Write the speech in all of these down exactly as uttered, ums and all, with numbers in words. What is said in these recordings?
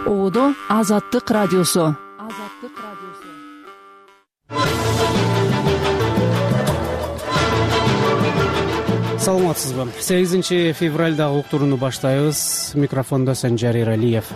Оодо Азаттык радиосу. Азаттык радиосу. Саламатсызбы? сегизинчи февралдагы уктурууну баштайбыз. Микрофондо Санжар Эралиев.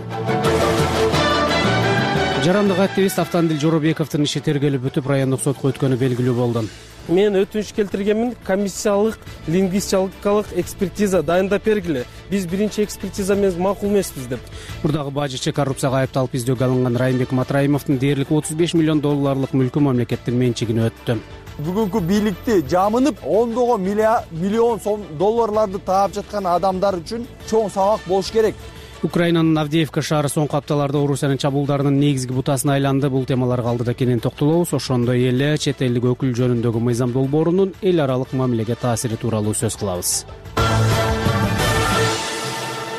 Жарандык активист Автандил Жоробековдун иши тергелип бүтүп, райондук сотко өткөнү белгилүү болду. Мен өтүнүч келтиргенмин, комиссиялык лингвистикалык экспертиза дайындап бергиле. Биз биринчи экспертиза менен макул эмеспиз деп. Мурдагы бажычы коррупцияга айыпталып издөөгө алынган Райымбек Матраимовдун дээрлик отуз беш миллион долларлык мүлкү мамлекеттин менчигине өттү. Бүгүнкү бийликти жамынып, ондогон миллион сом долларларды таап жаткан адамдар үчүн чоң сабак болуш керек. Украинанын Авдеевка шаары соңку апталарда Орусиянын чабуулдарынын негизги бутасына айланды. Бул темаларга алдыда кенен токтолобуз. Ошондой эле чет элдик өкүл жөнүндөгү мыйзам долбоорунун эл аралык мамилеге таасири тууралуу сөз кылабыз.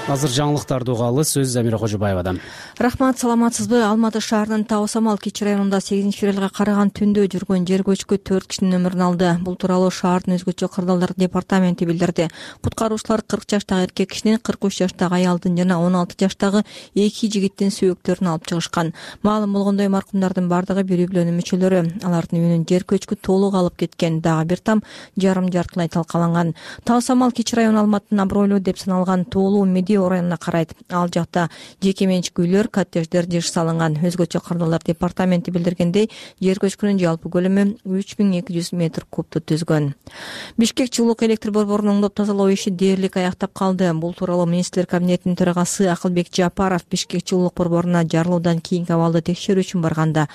Азыр жаңылыктарды угалы. Сөз Замира Кожобаевадан. Рахмат, саламатсызбы? Алматы шаарынын Тау Самал Кичи районунда сегизинчи февралга караган түндө жүргөн жер көчкү төрт кишинин өмүрүн алды. Бул тууралуу шаардын өзгөчө кырдаалдар департаменти билдирди. Куткаруучулар кырк жаштагы эркек кишинин, кырк үч жаштагы аялдын жана он алты жаштагы эки жигиттин сөөктөрүн алып чыгышкан. Маалым болгондой, маркумдардын бардыгы бир үй бүлөнүн мүчөлөрү. Алардын үйүнүн жер көчкү толук алып кеткен, дагы бир там жарым жартылай талкаланган. Тау Самал Кичи району Алматынын абройлуу деп саналган Тоолуу Медео районуна карайт. Ал жакта жеке менчик үйлөр, коттедждер жыш салынган. Өзгөчө кырдаалдар департаменти билдиргендей, жер көчкүнүн жалпы көлөмү үч миң эки жүз метр кубту түзгөн. Бишкек жылуулук электр борборунун оңдоп тазалоо иши дээрлик аяктап калды. Бул тууралуу министрлер кабинетинин төрагасы Акылбек Жапаров Бишкек жылуулук борборуна жарылуудан кийинки абалды текшерүү үчүн барганда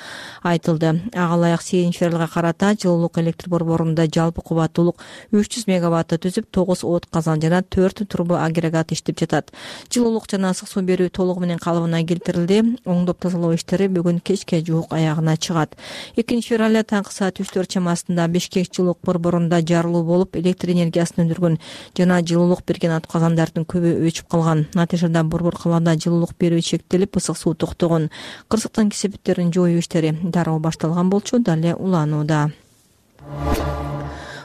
айтылды. Ага ылайык сегизинчи февралга карата жылуулук электр борборунда жалпы кубаттуулук үч жүз мегаватты түзүп, тогуз от казан жана төрт турбо агрегат иштеп жатат. Жылуулук жана ысык суу берүү толугу менен калыбына келтирилди. Оңдоп тазалоо иштери бүгүн кечке жуук аягына чыгат. экинчи февралда таңкы саат үчтөр чамасында Бишкек жылуулук борборунда жарылуу болуп, электр энергиясын өндүргөн жана жылуулук берген атказандардын көбү өчүп калган. Натыйжада борбор калаада жылуулук берүү чектелип, ысык суу токтогон. Кырсыктын кесепеттерин жоюу иштери дароо башталган болчу, дале уланууда.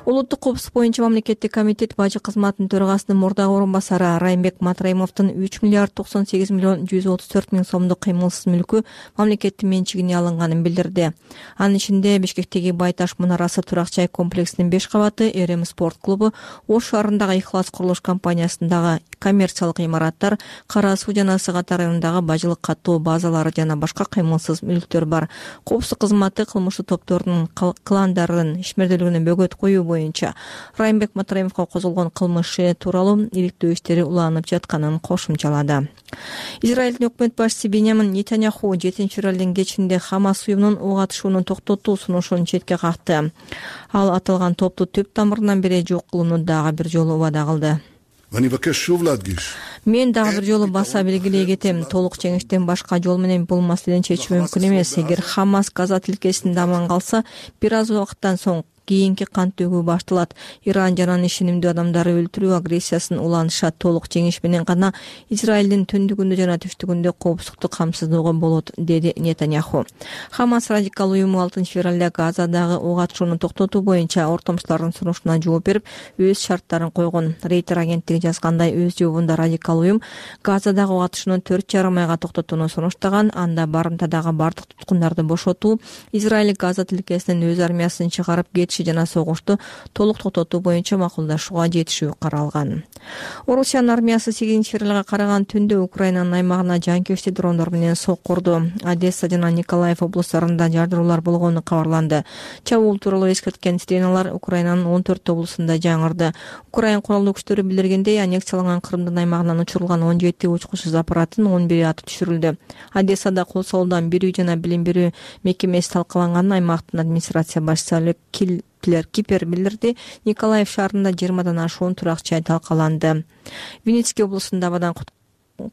Улуттук коопсуздук боюнча мамлекеттик комитет бажы кызматынын төрагасынын мурдагы орун басары Райымбек Матраимовдун үч миллиард токсон сегиз миллион жүз отуз төрт миң сомдук кыймылсыз мүлкү мамлекеттин менчигине алынганын билдирди. Анын ичинде Бишкектеги Байташ мунарасы турак жай комплексинин беш кабаты, Эрем спорт клубу, Ош шаарындагы Ихлас курулуш компаниясындагы коммерциялык имараттар, Кара Суу жана Сыгат районундагы бажылык каттоо базалары жана башка кыймылсыз мүлктөр бар. Коопсуздук кызматы кылмыштуу топтордун кландардын ишмердүүлүгүнө бөгөт коюу боюнча Райымбек Матраимовго козголгон кылмышы тууралуу иликтөө иштери уланып жатканын кошумчалады. Израилдин өкмөт башчысы Беньямин Нетаньяху жетинчи февралдын кечинде Хамас уюмунун ок атышууну токтотуу сунушун четке какты. Ал аталган топту түп тамырынан бери жок кылууну дагы бир жолу убада кылды. Мен дагы бир жолу баса белгилей кетем, толук жеңиштен башка жол менен бул маселени чечүү мүмкүн эмес. Эгер Хамас Газа тилкесинде аман калса, бир аз убакыттан соң кийинки кан төгүү башталат. Иран жана анын ишенимдүү адамдары өлтүрүү агрессиясын уланышат. Толук жеңиш менен гана Израилдин түндүгүндө жана түштүгүндө коопсуздукту камсыздоого болот, деди Нетаньяху. Хамас радикал уюму алтынчы февралда Газадагы ок атышууну токтотуу боюнча ортомчулардын сунушуна жооп берип, өз шарттарын койгон. Рейтер агенттиги жазгандай, өз жообунда радикал уюм Газадагы ок атышууну төрт жарым айга токтотууну сунуштаган. Анда барымтадагы бардык туткундарды бошотуу, Израиль Газа тилкесинен өз армиясын чыгарып кетиши жана согушту толук токтотуу боюнча макулдашууга жетишүү каралган. Орусиянын армиясы сегизинчи февралга караган түндө Украинанын аймагына жанкечти дрондор менен сокку урду. Одесса жана Николаев облустарында жардыруулар болгону кабарланды. Чабуул тууралуу эскерткен сиреналар Украинанын он төрт облусунда жаңырды. Украин куралдуу күчтөрү билдиргендей, аннексияланган Крымдын аймагынан учурулган он жети учкучсуз аппараттын он бири аты түшүрүлдү. Одессада кол соолдан бир үй жана билим берүү мекемеси талкаланганын аймактын администрация башчысы Кипер билдирди. Николаев шаарында жыйырмадан ашуун турак жай талкаланды. Винницкий облусунда абадан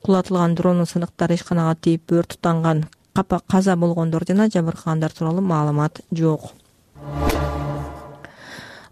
кулатылган дронун сыныктары ишканага тийип өрт тутанган. Каза болгондор жана жабыркагандар тууралуу маалымат жок.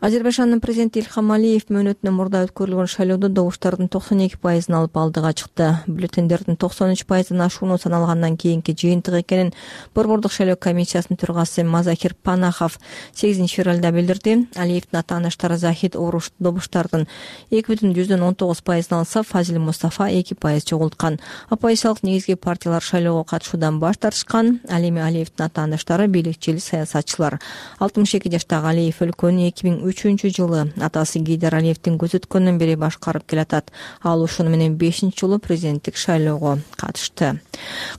Азербайжандын президенти Ильхам Алиев мөөнөтүнөн мурда өткөрүлгөн шайлоодо добуштардын токсон эки пайызын алып алдыга чыкты. Бюллетендердин токсон үч пайыздан ашууну саналгандан кийинки жыйынтык экенин Борбордук шайлоо комиссиясынын төрагасы Мазахир Панахов сегизинчи февралда билдирди. Алиевдин ата-анаштары Захид Оруш добуштардын эки бүтүн жүздөн он тогуз пайызын алса, Фазил Мустафа эки пайыз чогулткан. Оппозициялык негизги партиялар шайлоого катышуудан баш тартышкан. Ал эми Алиевдин ата-анаштары бийликчил саясатчылар. алтымыш эки жаштагы Алиев өлкөнү эки миң үчүнчү жылы атасы Гейдар Алиевдин көзөткөнүнөн бери башкарып келатат. Ал ушуну менен бешинчи жолу президенттик шайлоого катышты.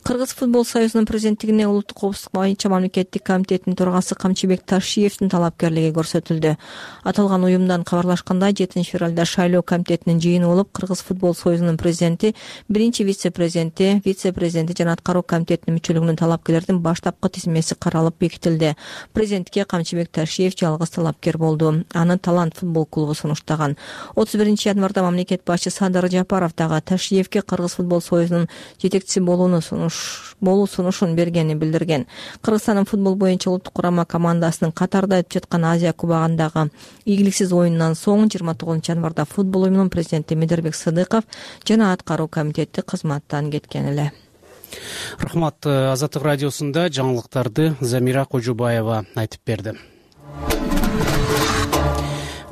Кыргыз футбол союзунун президенттигине улуттук коопсуздук боюнча мамлекеттик комитеттин төрагасы Камчыбек Ташиевдин талапкерлиги көрсөтүлдү. Аталган уюмдан кабарлашкандай, жетинчи февралда шайлоо комитетинин жыйыны болуп, Кыргыз футбол союзунун президенти, биринчи вице-президенти, вице-президенти жана аткаруу комитетинин мүчөлүгүнүн талапкерлердин баштапкы тизмеси каралып бекитилди. Президентке Камчыбек Ташиев жалгыз талапкер болду. Аны Талант футбол клубу сунуштаган. отуз биринчи январда мамлекет башчы Садыр Жапаров дагы Ташиевке Кыргыз футбол союзунун жетекчиси болууну сунуш болуу сунушун бергенин билдирген. Кыргызстандын футбол боюнча улуттук курама командасынын Катарда өтүп жаткан Азия кубагындагы ийгиликсиз оюнунан соң жыйырма тогузунчу январда футбол оюнунун президенти Медербек Сыдыков жана аткаруу комитети кызматтан кеткен эле. Рахмат. Азаттык радиосунда жаңылыктарды Замира Кожубаева айтып берди.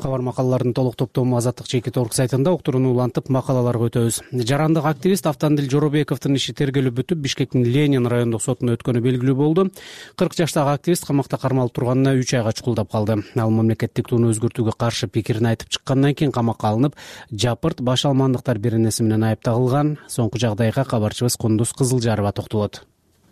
Кабар макалалардын толук топтому Азаттык чекит орг сайтында уктурууну улантып макалаларга өтөбүз. Жарандык активист Автандил Жоробековдун иши тергелип бүтүп, Бишкектин Ленин райондук сотуна өткөнү белгилүү болду. кырк жаштагы активист камакта кармалып турганына үч айга чукулдап калды. Ал мамлекеттик тууну өзгөртүүгө каршы пикирин айтып чыккандан кийин камакка алынып, Жапырт баш алмандыктар беренеси менен айыпталган. Соңку жагдайга кабарчыбыз Кундуз Кызылжарова токтолот.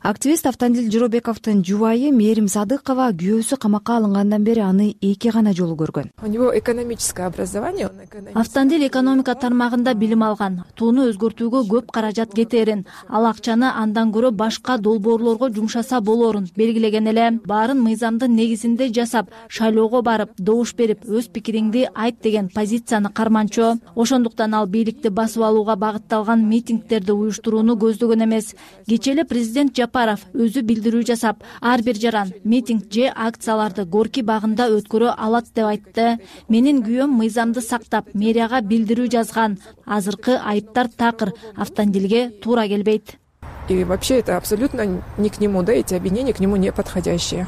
Активист Автандил Жоробековдун жубайы Мээрим Садыкова күйөөсү камакка алынгандан бери аны эки гана жолу көргөн. У него экономическое образование. Автандил экономика тармагында билим алган. Тууну өзгөртүүгө көп каражат кетерин, ал акчаны андан көрө башка долбоорлорго жумшаса болорун белгилеген эле. Баарын мыйзамдын негизинде жасап, шайлоого барып, добуш берип, өз пикириңди айт деген позицияны карманчу. Ошондуктан ал бийликти басып алууга багытталган митингдерди уюштурууну көздөгөн эмес. Кечээ президент Жапаров өзү билдирүү жасап, ар бир жаран митинг же акцияларды Горки багында өткөрө алат деп айтты. Менин күйөөм мыйзамды сактап, мэрияга билдирүү жазган. Азыркы айыптар такыр, Автандилге туура келбейт. И вообще это абсолютно не к нему, да, эти обвинения к нему не подходящие.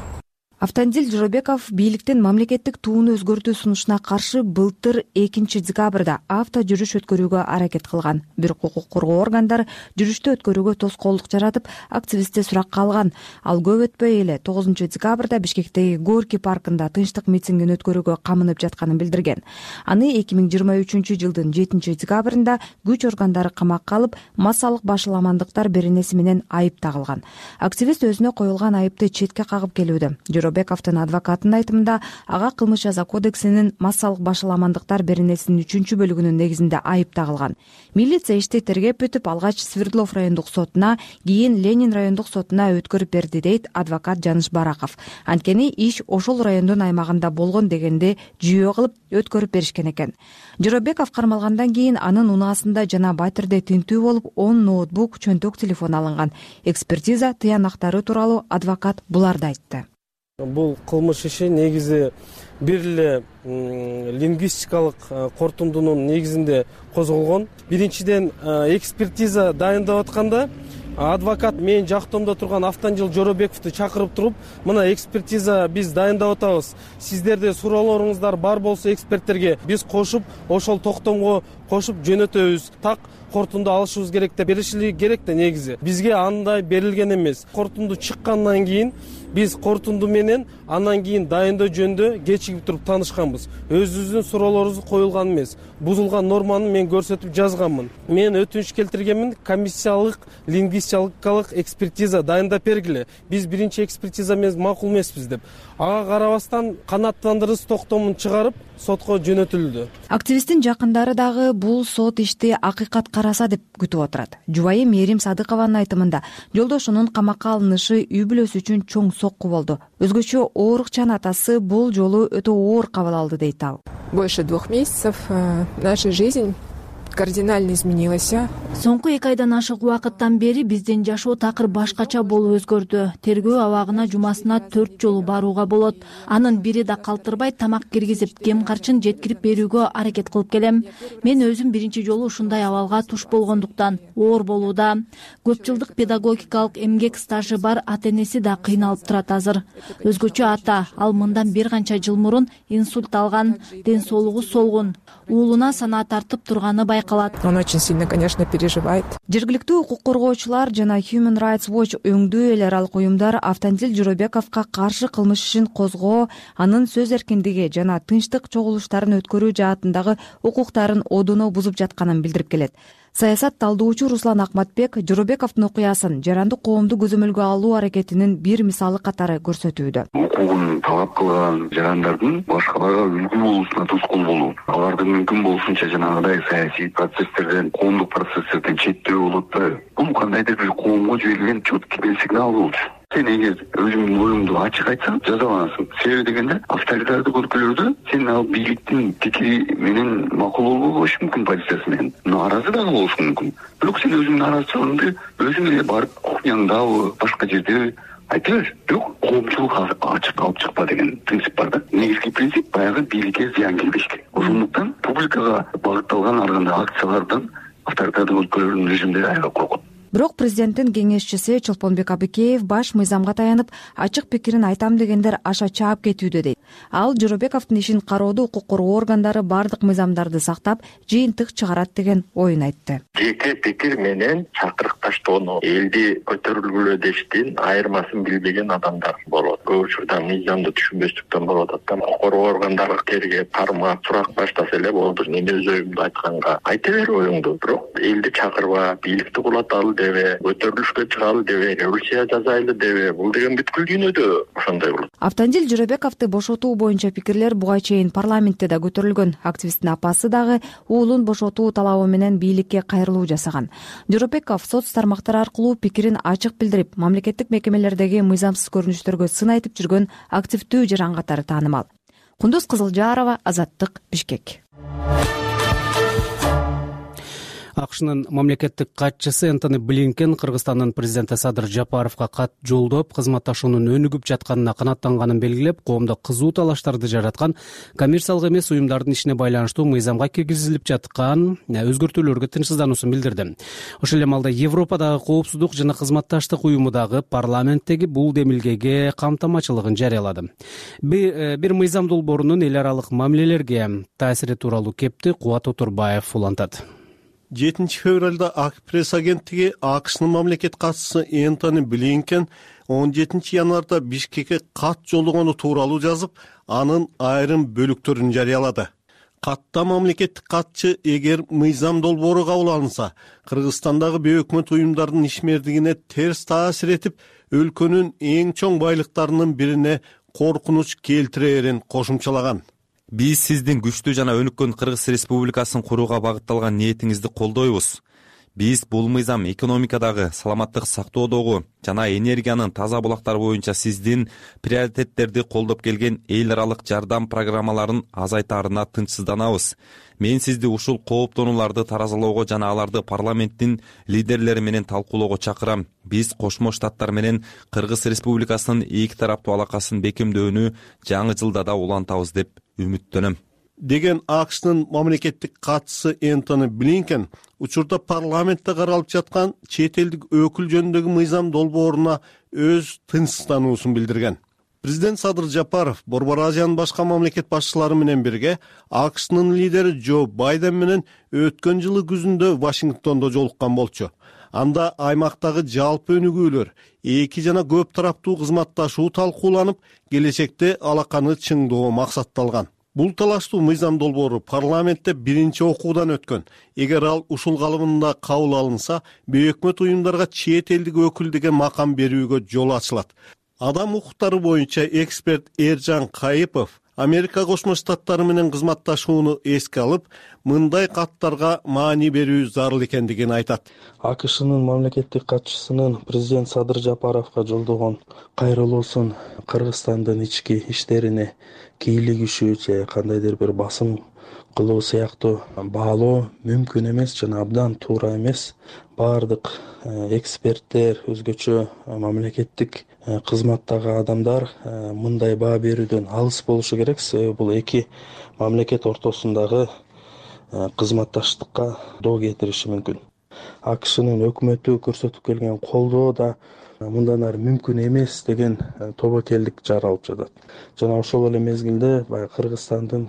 Автандил Жоробеков бийликтин мамлекеттик тууну өзгөртүү сунушуна каршы былтыр экинчи декабрда авто жүрүш өткөрүүгө аракет кылган. Бирок укук коргоо органдары жүрүштү өткөрүүгө тоскоолдук жаратып, активистти суракка алган. Ал көп өтпөй эле тогузунчу декабрда Бишкектеги Горки паркында тынчтык митингин өткөрүүгө камынып жатканын билдирген. Аны эки миң жыйырма үчүнчү жылдын жетинчи декабрында күч органдары камакка алып, массалык башаламандыктар беренеси менен айып тагылган. Активист өзүнө коюлган айыпты четке кагып келүүдө. Жоробековдун адвокатынын айтымында, ага кылмыш жаза кодексинин массалык башаламандыктар беренесинин үчүнчү бөлүгүнүн негизинде айып тагылган. Милиция ишти тергеп бүтүп, алгач Свердлов райондук сотуна, кийин Ленин райондук сотуна өткөрүп берди, дейт адвокат Жаныш Бараков. Анткени иш ошол райондун аймагында болгон дегенде жүйө кылып өткөрүп беришкен экен. Жоробеков кармалгандан кийин анын унаасында жана Батирде тинтүү болуп, он ноутбук, чөнтөк телефон алынган. Экспертиза тыянактары тууралуу адвокат буларды айтты. Бул кылмыш иши негизи бир эле лингвистикалык кортундунун негизинде козголгон. Биринчиден, экспертиза дайындап атканда адвокат менин жактоомдо турган Автандил Жоробековду чакырып туруп, мына экспертиза биз дайындап атабыз. Сиздерде суроолоруңуздар бар болсо эксперттерге биз кошуп, ошол токтомго кошуп жөнөтөбүз. Так кортунду алышыбыз керек деп беришили керек да негизи. Бизге андай берилген эмес. Кортунду чыккандан кийин биз кортунду менен андан кийин дайындоо жөнүндө кечигип туруп таанышканбыз. Өзүбүздүн суроолорубуз коюлган эмес. Бузулган норманы мен көрсөтүп жазганмын. Мен өтүнүч келтиргенмин, комиссиялык лингвистикалык экспертиза дайындап бергиле. Биз биринчи экспертиза менен макул эмеспиз деп. Ага карабастан канааттандыргыс токтомун чыгарып сотко жөнөтүлдү. Активисттин жакындары дагы бул сот ишти акыйкат караса деп күтүп отурат. Жубайы Мээрим Садыкованын айтымында, жолдошунун камакка алынышы үй бүлөсү үчүн чоң сокку болду. Өзгөчө оорукчан атасы бул жолу өтө оор кабыл алды, дейт ал. Больше двух месяцев наша жизнь кардинально изменилось. Соңку эки айдан ашык убакыттан бери биздин жашоо такыр башкача болуп өзгөрдү. Тергөө абагына жумасына төрт жолу барууга болот. Анын бири да калтырбай тамак киргизип, кем карчын жеткирип берүүгө аракет кылып келем. Мен өзүм биринчи жолу ушундай абалга туш болгондуктан оор болууда. Көп жылдык педагогикалык эмгек стажы бар ата-энеси да кыйналып турат азыр. Өзгөчө ата, ал мындан бир канча жыл мурун инсульт алган, ден соолугу солгун. Уулуна санаа тартып турганы байкалат. Он очень сильно, конечно, переживает. Жергиликтүү укук коргоочулар жана Human Rights Watch өңдүү эл аралык уюмдар Автандил Жоробековго каршы кылмыш ишин козгоо, анын сөз эркиндиги жана тынчтык чогулуштарын өткөрүү жаатындагы укуктарын одоно бузуп жатканын билдирип келет. Саясат талдоочу Руслан Акматбек Жоробековдун окуясын жарандык коомду көзөмөлгө алуу аракетинин бир мисалы катары көрсөтүүдө. Укугун талап кылган жарандардын башкаларга үлгү болуусуна тоскоол болуу, аларды мүмкүн болушунча жанагыдай саясий процесстерден, коомдук процесстерден четтөө болот да. Бул кандайдыр бир коомго жиберилген четкий сигнал болчу. Сен эгер өзүңдүн оюңду ачык айтсаң, жазаланасың. Себеби дегенде, авторитардык өлкөлөрдө сен ал бийликтин пикири менен макул болбош мүмкүн, позициясы менен нааразы дагы болушуң мүмкүн. Бирок сен өзүңдүн нааразычылыгыңды өзүң эле барып кухняңдабы, башка жерде айта бер. Бирок коомчулук ачык алып чыкпа деген принцип бар да. Негизги принцип баягы бийликке зыян келбеш керек. Ошондуктан публикага багытталган ар кандай акциялардан авторитардык өлкөлөрдүн режимдери аябай коркот. Бирок президенттин кеңешчиси Чолпонбек Абыкеев баш мыйзамга таянып, ачык пикирин айтам дегендер аша чаап кетүүдө дейт. Ал Жоробековдун ишин кароодо укук коргоо органдары бардык мыйзамдарды сактап, жыйынтык чыгарат деген оюн айтты. Жеке пикир менен чакырыкташтоону, элди көтөрүлгүлө дештин айырмасын билбеген адамдар болот. Көп учурда мыйзамды түшүнбөстүктөн болуп атат. Укук коргоо органдары тергеп, кармап, сурак баштаса эле болду. Мен өз оюмду айтканга айта бер оюңду. Бирок элди чакырба, бийликти кулаталы дебе, көтөрүлүшкө чыгалы дебе, революция жасайлы дебе, бул деген бүткүл дүйнөдө ошондой болот. Автандил Жоробековду бошотуу боюнча пикирлер буга чейин парламентте да көтөрүлгөн. Активисттин апасы дагы уулун бошотуу талабы менен бийликке кайрылуу жасаган. Жоробеков соц тармактары аркылуу пикирин ачык билдирип, мамлекеттик мекемелердеги мыйзамсыз көрүнүштөргө сын айтып жүргөн активдүү жаран катары таанымал. Кундуз Кызылжарова, Азаттык, Бишкек. АКШнын мамлекеттик катчысы Энтони Блинкен Кыргызстандын президенти Садыр Жапаровго кат жолдоп, кызматташуунун өнүгүп жатканына канааттанганын белгилеп, коомдо кызуу талаштарды жараткан коммерциялык эмес уюмдардын ишине байланыштуу мыйзамга киргизилип жаткан өзгөртүүлөргө тынчсыздануусун билдирди. Ошол эле маалда Европадагы коопсуздук жана кызматташтык уюму дагы парламенттеги бул демилгеге камтамачылыгын жарыялады. Бир мыйзам долбоорунун эл аралык мамилелерге таасири тууралуу кепти Кубат Отурбаев улантат. жетинчи февралда ак пресс агенттиги АКШнын мамлекет катчысы Энтони Блинкен он жетинчи январда Бишкекке кат жолдогону тууралуу жазып, анын айрым бөлүктөрүн жарыялады. Катта мамлекеттик катчы эгер мыйзам долбоору кабыл алынса, Кыргызстандагы бейөкмөт уюмдардын ишмердигине терс таасир этип, өлкөнүн эң чоң байлыктарынын бирине коркунуч келтирерин кошумчалаган. Биз сиздин күчтүү жана өнүккөн Кыргыз Республикасын курууга багытталган ниетиңизди колдойбуз. Биз бул мыйзам экономикадагы, саламаттык сактоодогу жана энергиянын таза булактары боюнча сиздин приоритеттерди колдоп келген эл аралык жардам программаларын азайтаарына тынчсызданабыз. Мен сизди ушул кооптонууларды таразалоого жана аларды парламенттин лидерлери менен талкуулоого чакырам. Биз Кошмо Штаттар менен Кыргыз Республикасынын эки тараптуу алакасын бекемдөөнү жаңы жылда да улантабыз деп үмүттөнөм. Деген АКШнын мамлекеттик катчысы Энтони Блинкен учурда парламентте каралып жаткан чет элдик өкүл жөнүндөгү мыйзам долбооруна өз тынчсыздануусун билдирген. Президент Садыр Жапаров Борбор Азиянын башка мамлекет башчылары менен бирге АКШнын лидери Джо Байден менен өткөн жылы күзүндө Вашингтондо жолуккан болчу. Анда аймактагы жалпы өнүгүүлөр, эки жана көп тараптуу кызматташуу талкууланып, келечекте алаканы чыңдоо максатталган. Бул талаштуу мыйзам долбоору парламентте биринчи окуудан өткөн. Эгер ал ушул калыбында кабыл алынса, бейөкмөт уюмдарга чет элдик өкүл деген макам берүүгө жол ачылат. Адам укуктары боюнча эксперт Эржан Кайыпов Америка Кошмо Штаттары менен кызматташууну эске алып, мындай каттарга маани берүү зарыл экендигин айтат. АКШнын мамлекеттик катчысынын президент Садыр Жапаровго жолдогон кайрылуусун Кыргызстандын ички иштерине кийлигишүү же кандайдыр бир басым кылуу сыяктуу баалоо мүмкүн эмес жана абдан туура эмес. Баардык эксперттер, өзгөчө мамлекеттик кызматтагы адамдар мындай баа берүүдөн алыс болушу керек. Себеби бул эки мамлекет ортосундагы кызматташтыкка доо кетириши мүмкүн. АКШнын өкмөтү көрсөтүп келген колдоо да мындан ары мүмкүн эмес деген тобокелдик жаралып жатат. Жана ошол эле мезгилде баягы Кыргызстандын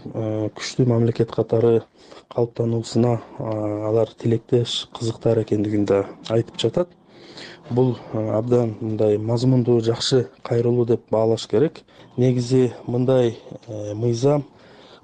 күчтүү мамлекет катары калыптануусуна алар тилектеш, кызыктар экендигин да айтып жатат. Бул абдан мындай мазмундуу, жакшы кайрылуу деп баалаш керек. Негизи мындай мыйзам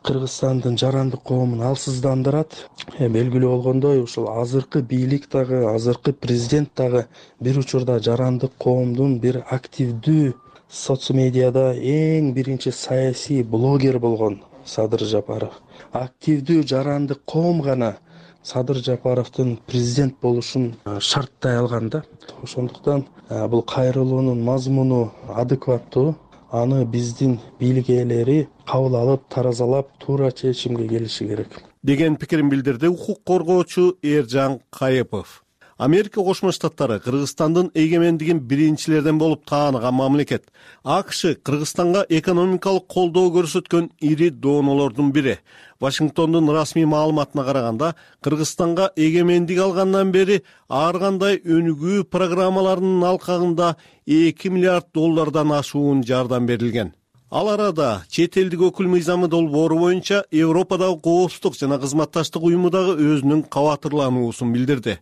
Кыргызстандын жарандык коомун алсыздандырат. Белгилүү болгондой, ушул азыркы бийлик дагы, азыркы президент дагы бир учурда жарандык коомдун бир активдүү соцмедиада эң биринчи саясий блогер болгон Садыр Жапаров. Активдүү жарандык коом гана Садыр Жапаровдун президент болушун шарттай алган да. Ошондуктан бул кайрылуунун мазмуну адекваттуу. Аны биздин бийлик ээлери кабыл алып, таразалап, туура чечимге келиши керек деген пикирин билдирди укук коргоочу Эржан Кайыпов. Америка Кошмо Штаттары Кыргызстандын эгемендигин биринчилерден болуп тааныган мамлекет. АКШ Кыргызстанга экономикалык колдоо көрсөткөн ири доонолордун бири. Вашингтондун расмий маалыматына караганда, Кыргызстанга эгемендик алгандан бери ар кандай өнүгүү программаларынын алкагында эки миллиард доллардан ашуун жардам берилген. Ал арада чет элдик өкүл мыйзамы долбоору боюнча Европадагы коопсуздук жана кызматташтык уюму дагы өзүнүн кабатырлануусун билдирди.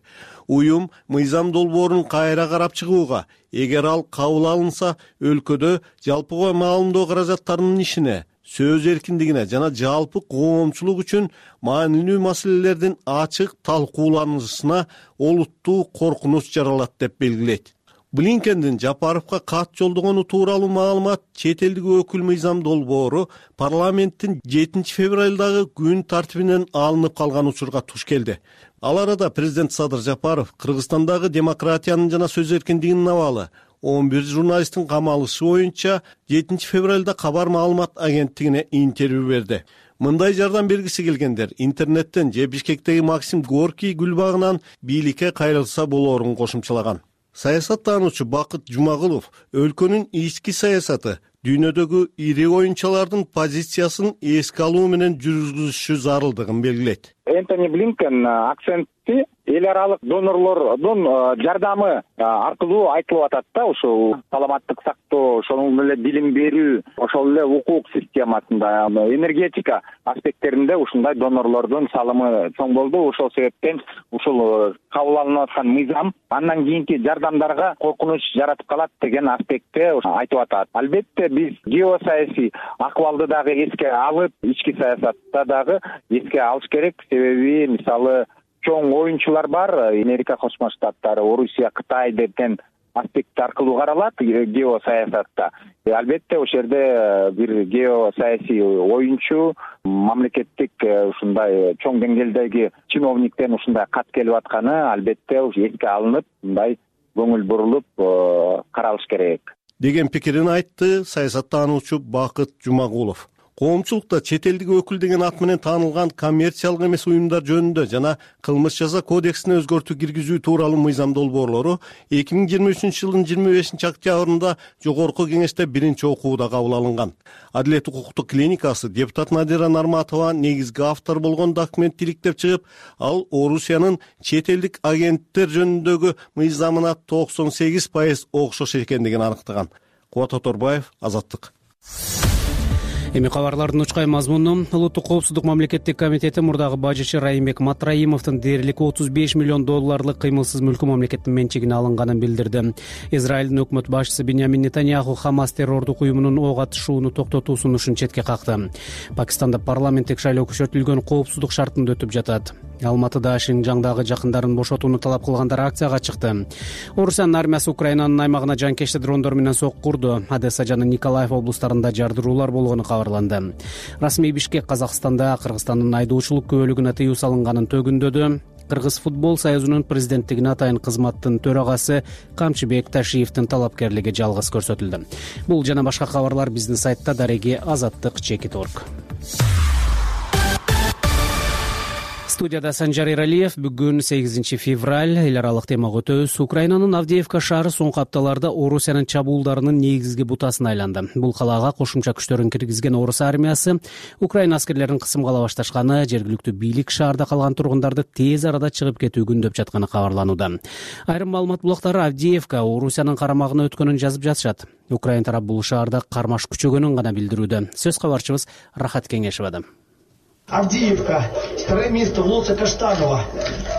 Уюм мыйзам долбоорун кайра карап чыгууга, эгер ал кабыл алынса, өлкөдө жалпыга маалымдоо каражаттарынын ишине, сөз эркиндигине жана жалпы коомчулук үчүн маанилүү маселелердин ачык талкууланышына олуттуу коркунуч жаралат деп белгилейт. Блинкендин Жапаровго кат жолдогону тууралуу маалымат чет элдик өкүл мыйзам долбоору парламенттин жетинчи февралдагы күн тартибинен алынып калган учурга туш келди. Ал арада президент Садыр Жапаров Кыргызстандагы демократиянын жана сөз эркиндигинин абалы он бир журналисттин камалышы боюнча жетинчи февралда кабар маалымат агенттигине интервью берди. Мындай жардам бергиси келгендер интернеттен же Бишкектеги Максим Горький гүл багынан бийликке кайрылса болоорун кошумчалаган. Саясаттануучу Бакыт Жумагулов өлкөнүн ички саясаты дүйнөдөгү ири оюнчулардын позициясын эске алуу менен жүргүзүшү зарылдыгын белгилейт. Энтони Блинкен акцентти эл аралык донорлордун жардамы аркылуу айтылып атат да, ушул саламаттык сактоо, ошол эле билим берүү, ошол эле укук системасында, энергетика аспекттеринде ушундай донорлордун салымы чоң болду. Ошол себептен ушул кабыл алынып аткан мыйзам андан кийинки жардамдарга коркунуч жаратып калат деген аспектте айтып атат. Албетте биз геосаясий акыбалды дагы эске алып, ички саясатта дагы эске алыш керек. Себеби мисалы чоң оюнчулар бар, Америка Кошмо Штаттары, Орусия, Кытай деген аспект аркылуу каралат геосаясатта. Албетте ошол жерде бир геосаясий оюнчу, мамлекеттик ушундай чоң деңгээлдеги чиновниктен ушундай кат келип атканы албетте эске алынып, мындай көңүл бурулуп каралыш керек деген пикирин айтты саясаттануучу Бакыт Жумагулов. Коомчулукта чет элдик өкүл деген ат менен таанылган коммерциялык эмес уюмдар жөнүндө жана кылмыш жаза кодексине өзгөртүү киргизүү тууралуу мыйзам долбоорлору эки миң жыйырма үчүнчү жылдын жыйырма бешинчи октябрында жогорку кеңеште биринчи окууда кабыл алынган. Адилет укуктук клиникасы депутат Надира Нарматова негизги автор болгон документти иликтеп чыгып, ал Орусиянын чет элдик агенттер жөнүндөгү мыйзамына токсон сегиз пайыз окшош экендигин аныктаган. Кубат Оторбаев, Азаттык. Эми кабарлардын учкай мазмуну. Улуттук коопсуздук мамлекеттик комитети мурдагы бажычы Райымбек Матраимовдун дээрлик отуз беш миллион долларлык кыймылсыз мүлкү мамлекеттин менчигине алынганын билдирди. Израилдин өкмөт башчысы Биньямин Нетаньяху Хамас террордук уюмунун ок атышууну токтотуу сунушун четке какты. Пакистанда парламенттик шайлоо күчөтүлгөн коопсуздук шартында өтүп жатат. Алматыда Шинжаңдагы жакындарын бошотууну талап кылгандар акцияга чыкты. Орусиянын армиясы Украинанын аймагына жанкечти дрондор менен сокку курду. Одесса жана Николаев облустарында жардыруулар болгону кабарланды. Расмий Бишкек Казакстанда Кыргызстандын айдоочулук күбөлүгүнө тыюу салынганын төгүндөдү. Кыргыз футбол союзунун президенттигине атайын кызматтын төрагасы Камчыбек Ташиевдин талапкерлиги жалгыз көрсөтүлдү. Бул жана башка кабарлар биздин сайтта дареги азаттык чекит точка орг. Студияда Санжар Эралиев. Бүгүн сегизинчи февраль. Эл аралык темага өтөбүз. Украинанын Авдеевка шаары соңку апталарда Орусиянын чабуулдарынын негизги бутасына айланды. Бул калаага кошумча күчтөрүн киргизген Орус армиясы Украина аскерлерин кысымга ала башташканы, жергиликтүү бийлик шаарда калган тургундарды тез арада чыгып кетүү күндөп жатканы кабарланууда. Айрым маалымат булактары Авдеевка Орусиянын карамагына өткөнүн жазып жатышат. Украин тарап бул шаарда кармаш күчөгөнүн гана билдирүүдө. Сөз кабарчыбыз Рахат Кеңешевада. Авдеевка, второе место улица Каштанова.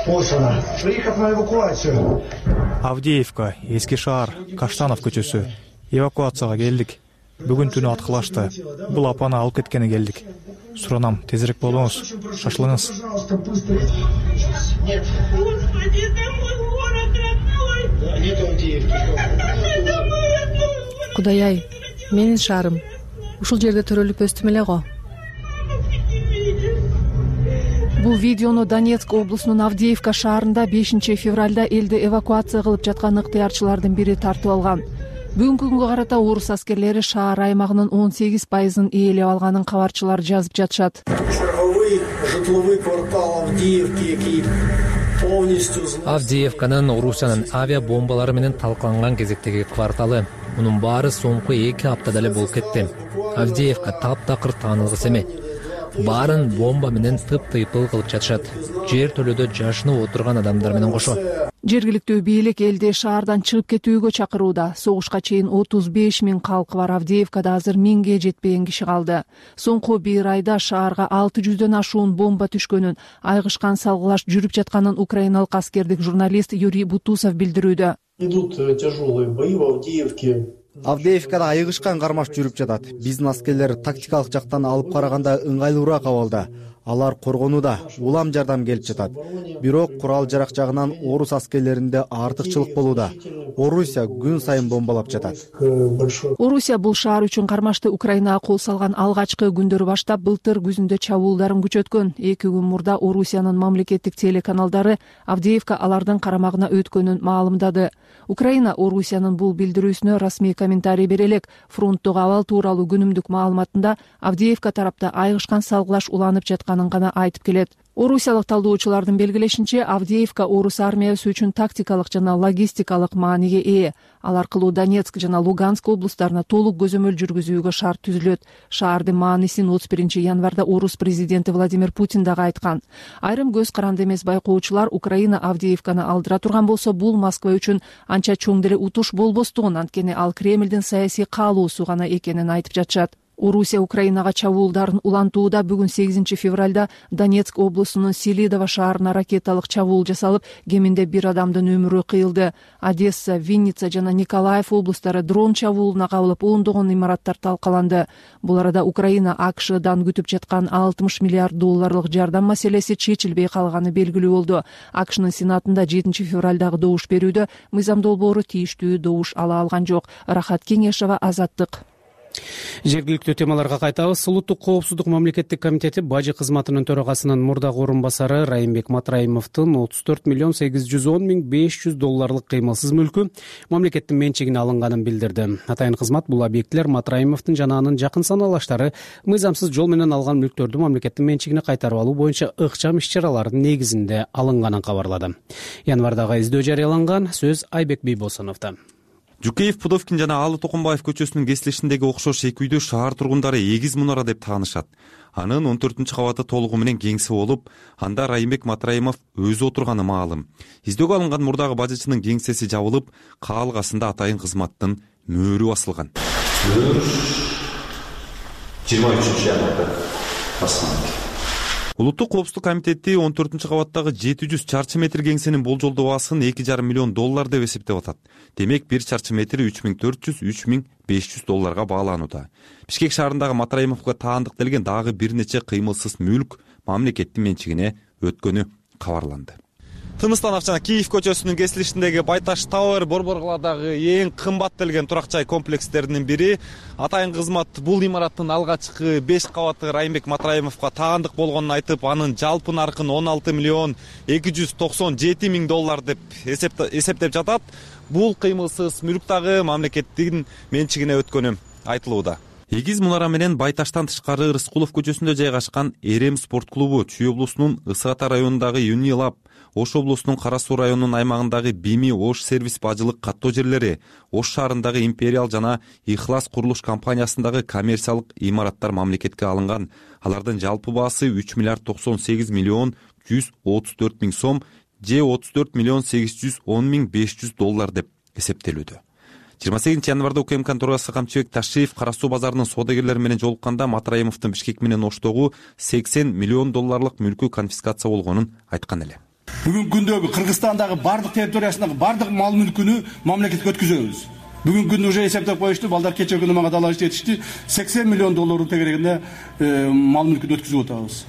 Вот она. Приехав на эвакуацию. Авдеевка, эски шаар, Каштанов көчөсү. Эвакуацияга келдик. Бүгүн түнү аткылашты. Бул апаны алып кеткени келдик. Суранам, тезирээк болуңуз. Шашылыңыз. Нет. Господи, это мой город родной. Нет Авдеевки. Кудай-ай, менин шаарым. Ушул жерде төрөлүп өстүм эле го. Бул видеону Донецк облусунун Авдеевка шаарында бешинчи февралда элди эвакуация кылып жаткан ыктыярчылардын бири тартып алган. Бүгүнкү күнгө карата орус аскерлери шаар аймагынын он сегиз пайызын ээлеп алганын кабарчылар жазып жатышат. Черговый житловый квартал Авдеевки полностью. Авдеевканын Орусиянын авиабомбалары менен талкаланган кезектеги кварталы. Мунун баары соңку эки аптада эле болуп кетти. Авдеевка таптакыр таанылгыс эме. Баарын бомба менен тып-тыйпыл кылып жатышат. Жер төлөдө жашынып отурган адамдар менен кошо. Жергиликтүү бийлик элди шаардан чыгып кетүүгө чакырууда. Согушка чейин отуз беш миң калкы бар Авдеевкада азыр миңге жетпеген киши калды. Соңку бир айда шаарга алты жүздөн ашуун бомба түшкөнүн, айгышкан салгылаш жүрүп жатканын украиналык аскердик журналист Юрий Бутусов билдирүүдө. Идут тяжелые бои в Авдеевке. Авдеевкада айгышкан кармаш жүрүп жатат. Биздин аскерлер тактикалык жактан алып караганда ыңгайлуураак абалда. Алар коргонууда, улам жардам келип жатат. Бирок курал жарак жагынан орус аскерлеринде артыкчылык болууда. Орусия күн сайын бомбалап жатат. Орусия бул шаар үчүн кармашты Украинага кол салган алгачкы күндөрү баштап былтыр күзүндө чабуулдарын күчөткөн. Эки күн мурда Орусиянын мамлекеттик телеканалдары Авдеевка алардын карамагына өткөнүн маалымдады. Украина Орусиянын бул билдирүүсүнө расмий комментарий бере элек. Фронттогу абал тууралуу күнүмдүк маалыматында Авдеевка тарапта айгышкан салгылаш уланып жатканын гана айтып келет. Орусиялык талдоочулардын белгилешинче, Авдеевка орус армиясы үчүн тактикалык жана логистикалык мааниге ээ. Ал аркылуу Донецк жана Луганск облустарына толук көзөмөл жүргүзүүгө шарт түзүлөт. Шаардын маанисин отуз биринчи январда орус президенти Владимир Путин дагы айткан. Айрым көз каранды эмес байкоочулар Украина Авдеевканы алдыра турган болсо, бул Москва үчүн анча чоң деле утуш болбостугун, анткени ал Кремлдин саясий каалоосу гана экенин айтып жатышат. Орусия Украинага чабуулдарын улантууда. Бүгүн сегизинчи февралда Донецк облусунун Селидово шаарына ракеталык чабуул жасалып, кеминде бир адамдын өмүрү кыйылды. Одесса, Винница жана Николаев облустары дрон чабуулуна кабылып, ондогон имараттар талкаланды. Бул арада Украина АКШдан күтүп жаткан алтымыш миллиард долларлык жардам маселеси чечилбей калганы белгилүү болду. АКШнын сенатында жетинчи февралдагы добуш берүүдө мыйзам долбоору тийиштүү добуш ала алган жок. Рахат Кеңешева, Азаттык. Жергиликтүү темаларга кайтабыз. Улуттук коопсуздук мамлекеттик комитети бажы кызматынын төрагасынын мурдагы орун басары Райымбек Матраимовдун отуз төрт миллион сегиз жүз он миң беш жүз долларлык кыймылсыз мүлкү мамлекеттин менчигине алынганын билдирди. Атайын кызмат бул объектилер Матраимовдун жана анын жакын санаалаштары мыйзамсыз жол менен алган мүлктөрдү мамлекеттин менчигине кайтарып алуу боюнча ыкчам иш-чаралардын негизинде алынганын кабарлады. Январдагы издөө жарыяланган. Сөз Айбек Бийбосуновдо. Жукеев, Пудовкин жана Алы Токомбаев көчөсүнүн кесилишиндеги окшош эки үйдө шаар тургундары эгиз мунара деп таанышат. Анын он төртүнчү кабаты толугу менен кеңсе болуп, анда Райымбек Матраимов өзү отурганы маалым. Издөөгө алынган мурдагы бажычынын кеңсеси жабылып, каалгасында атайын кызматтын мөөрү басылган. жыйырма үчүнчү январда басылган. Улуттук коопсуздук комитети он төртүнчү кабаттагы жети жүз чарчы метр кеңсенин болжолдоо баасын эки жарым миллион доллар деп эсептеп атат. Демек бир чарчы метри үч миң төрт жүз — үч миң беш жүз долларга бааланууда. Бишкек шаарындагы Матраимовго таандыктелген дагы бир нече кыймылсыз мүлк мамлекеттин менчигине өткөнү кабарланды. Тыныстанов жана Киев көчөсүнүн кесилишиндеги Байташ Тауэр Борбор каладагы эң кымбаттелген турак жай комплекстеринин бири. Атайын кызмат бул имараттын алгачкы беш кабаты Райымбек Матраимовго таандык болгонун айтып, анын жалпы наркын он алты миллион эки жүз токсон жети миң доллар деп эсептеп жатат. Бул кыймылсыз мүлк дагы мамлекеттин менчигине өткөнү айтылууда. эгиз мунара менен Байташтан тышкары Рыскулов көчөсүндө жайгашкан Эрем спорт клубу Чүй облусунун Ысык Ата районундагы Юнилаб, Ош облусунун Кара Суу районунун аймагындагы Бими Ош сервис бажылык каттоо жерлери, Ош шаарындагы Империал жана Ихлас курулуш компаниясындагы коммерциялык имараттар мамлекетке алынган. Алардын жалпы баасы үч миллиард токсон сегиз миллион жүз отуз төрт миң сом же отуз төрт миллион сегиз жүз он миң беш жүз доллар деп эсептелүүдө. жыйырма сегизинчи январда УКМКнын төрагасы Камчыбек Ташиев Кара Суу базарынын саудагерлери менен жолукканда Матраимовдун Бишкек менен Оштогу сексен миллион долларлык мүлкү конфискация болгонун айткан эле. Бүгүнкү күндөгү Кыргызстандагы бардык территориясындагы бардык мал мүлкүнү мамлекетке өткүзөбүз. Бүгүнкү күндө уже эсептеп коюшту, балдар кечээ күнү мага далаш жетишти, сексен миллион доллар тегерегинде мал мүлкүн өткүзүп атабыз.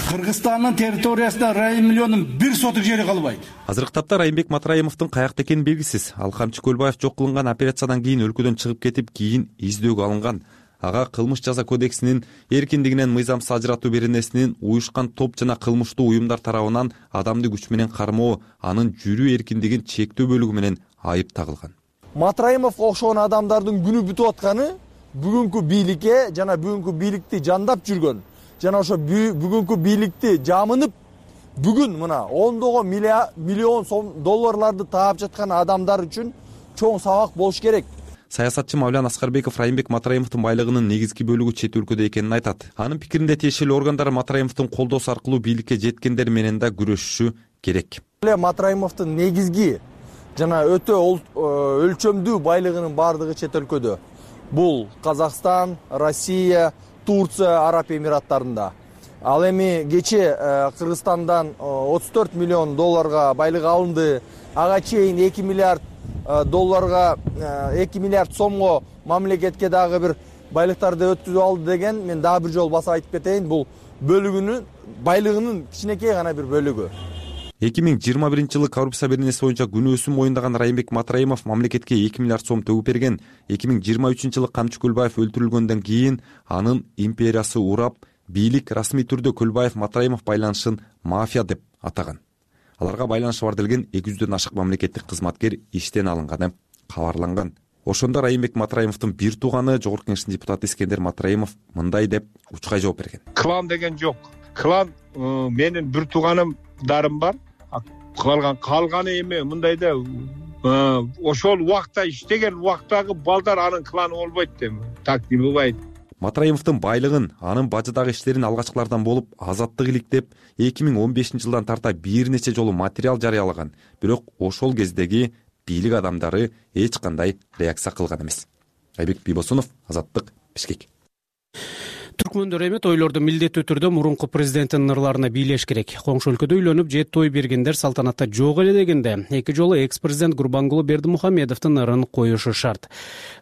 Кыргызстандын территориясында райым миллионун бир сотук жери калбайт. Азыркы тапта Райымбек Матраимовдун каякта экени белгисиз. Ал Камчы Көлбаев жок кылынган операциядан кийин өлкөдөн чыгып кетип, кийин издөөгө алынган. Ага кылмыш жаза кодексинин эркиндигинен мыйзамсыз ажыратуу беренесинин уюшкан топ жана кылмыштуу уюмдар тарабынан адамды күч менен кармоо, анын жүрүү эркиндигин чектөө бөлүгү менен айып тагылган. Матраимов окшогон адамдардын күнү бүтүп атканы бүгүнкү бийликке жана бүгүнкү бийликти жандап жүргөн жана ошо бүгүнкү бийликти жамынып бүгүн мына ондогон миллион сом долларларды таап жаткан адамдар үчүн чоң сабак болуш керек. Саясатчы Мавлян Аскарбеков Райымбек Матраимовдун байлыгынын негизги бөлүгү чет өлкөдө экенин айтат. Анын пикиринде тиешелүү органдар Матраимовдун колдоосу аркылуу бийликке жеткендер менен да күрөшүшү керек. Матраимовдун негизги жана өтө өлчөмдүү байлыгынын бардыгы чет өлкөдө. Бул Казакстан, Россия, Турция, Араб Эмираттарында. Ал эми кечээ Кыргызстандан отуз төрт миллион долларга байлык алынды. Ага чейин эки миллиард долларга, эки миллиард сомго мамлекетке дагы бир байлыктарды өткүзүп алды деген мен дагы бир жолу басып айтып кетейин. Бул бөлүгүнүн байлыгынын кичинекей гана бир бөлүгү. эки миң жыйырма биринчи жылы коррупция беренеси боюнча күнөөсүн моюндаган Райымбек Матраимов мамлекетке эки миллиард сом төгүп берген. эки миң жыйырма үчүнчү жылы Камчы Көлбаев өлтүрүлгөндөн кийин анын империясы урап, бийлик расмий түрдө Көлбаев Матраимов байланышын мафия деп атаган. Аларга байланышы бар делген эки жүздөн ашык мамлекеттик кызматкер иштен алынганы кабарланган. Ошондо Райымбек Матраимовдун бир тууганы Жогорку Кеңештин депутаты Искендер Матраимов мындай деп учкай жооп берген. Клан деген жок. Клан менин бир тууганымдарым бар. Калган калганы эме мындай да ошол убакта иштеген убактагы балдар анын кланы болбойт дейм. Так не бывает. Матраимовдун байлыгын, анын бажыдагы иштерин алгачкылардан болуп азаттык иликтеп, эки миң он бешинчи жылдан тарта бир нече жолу материал жарыялаган. Бирок ошол кездеги бийлик адамдары эч кандай реакция кылган эмес. Айбек Бийбосунов, Азаттык, Бишкек. Түркмөндөр эми тойлорду милдеттүү түрдө мурунку президенттин ырларына бийлеш керек. Коңшу өлкөдө үйлөнүп же той бергендер салтанатта жок эле дегенде, эки жолу экс-президент Гурбангулы Бердимухамедовдун ырын коюшу шарт.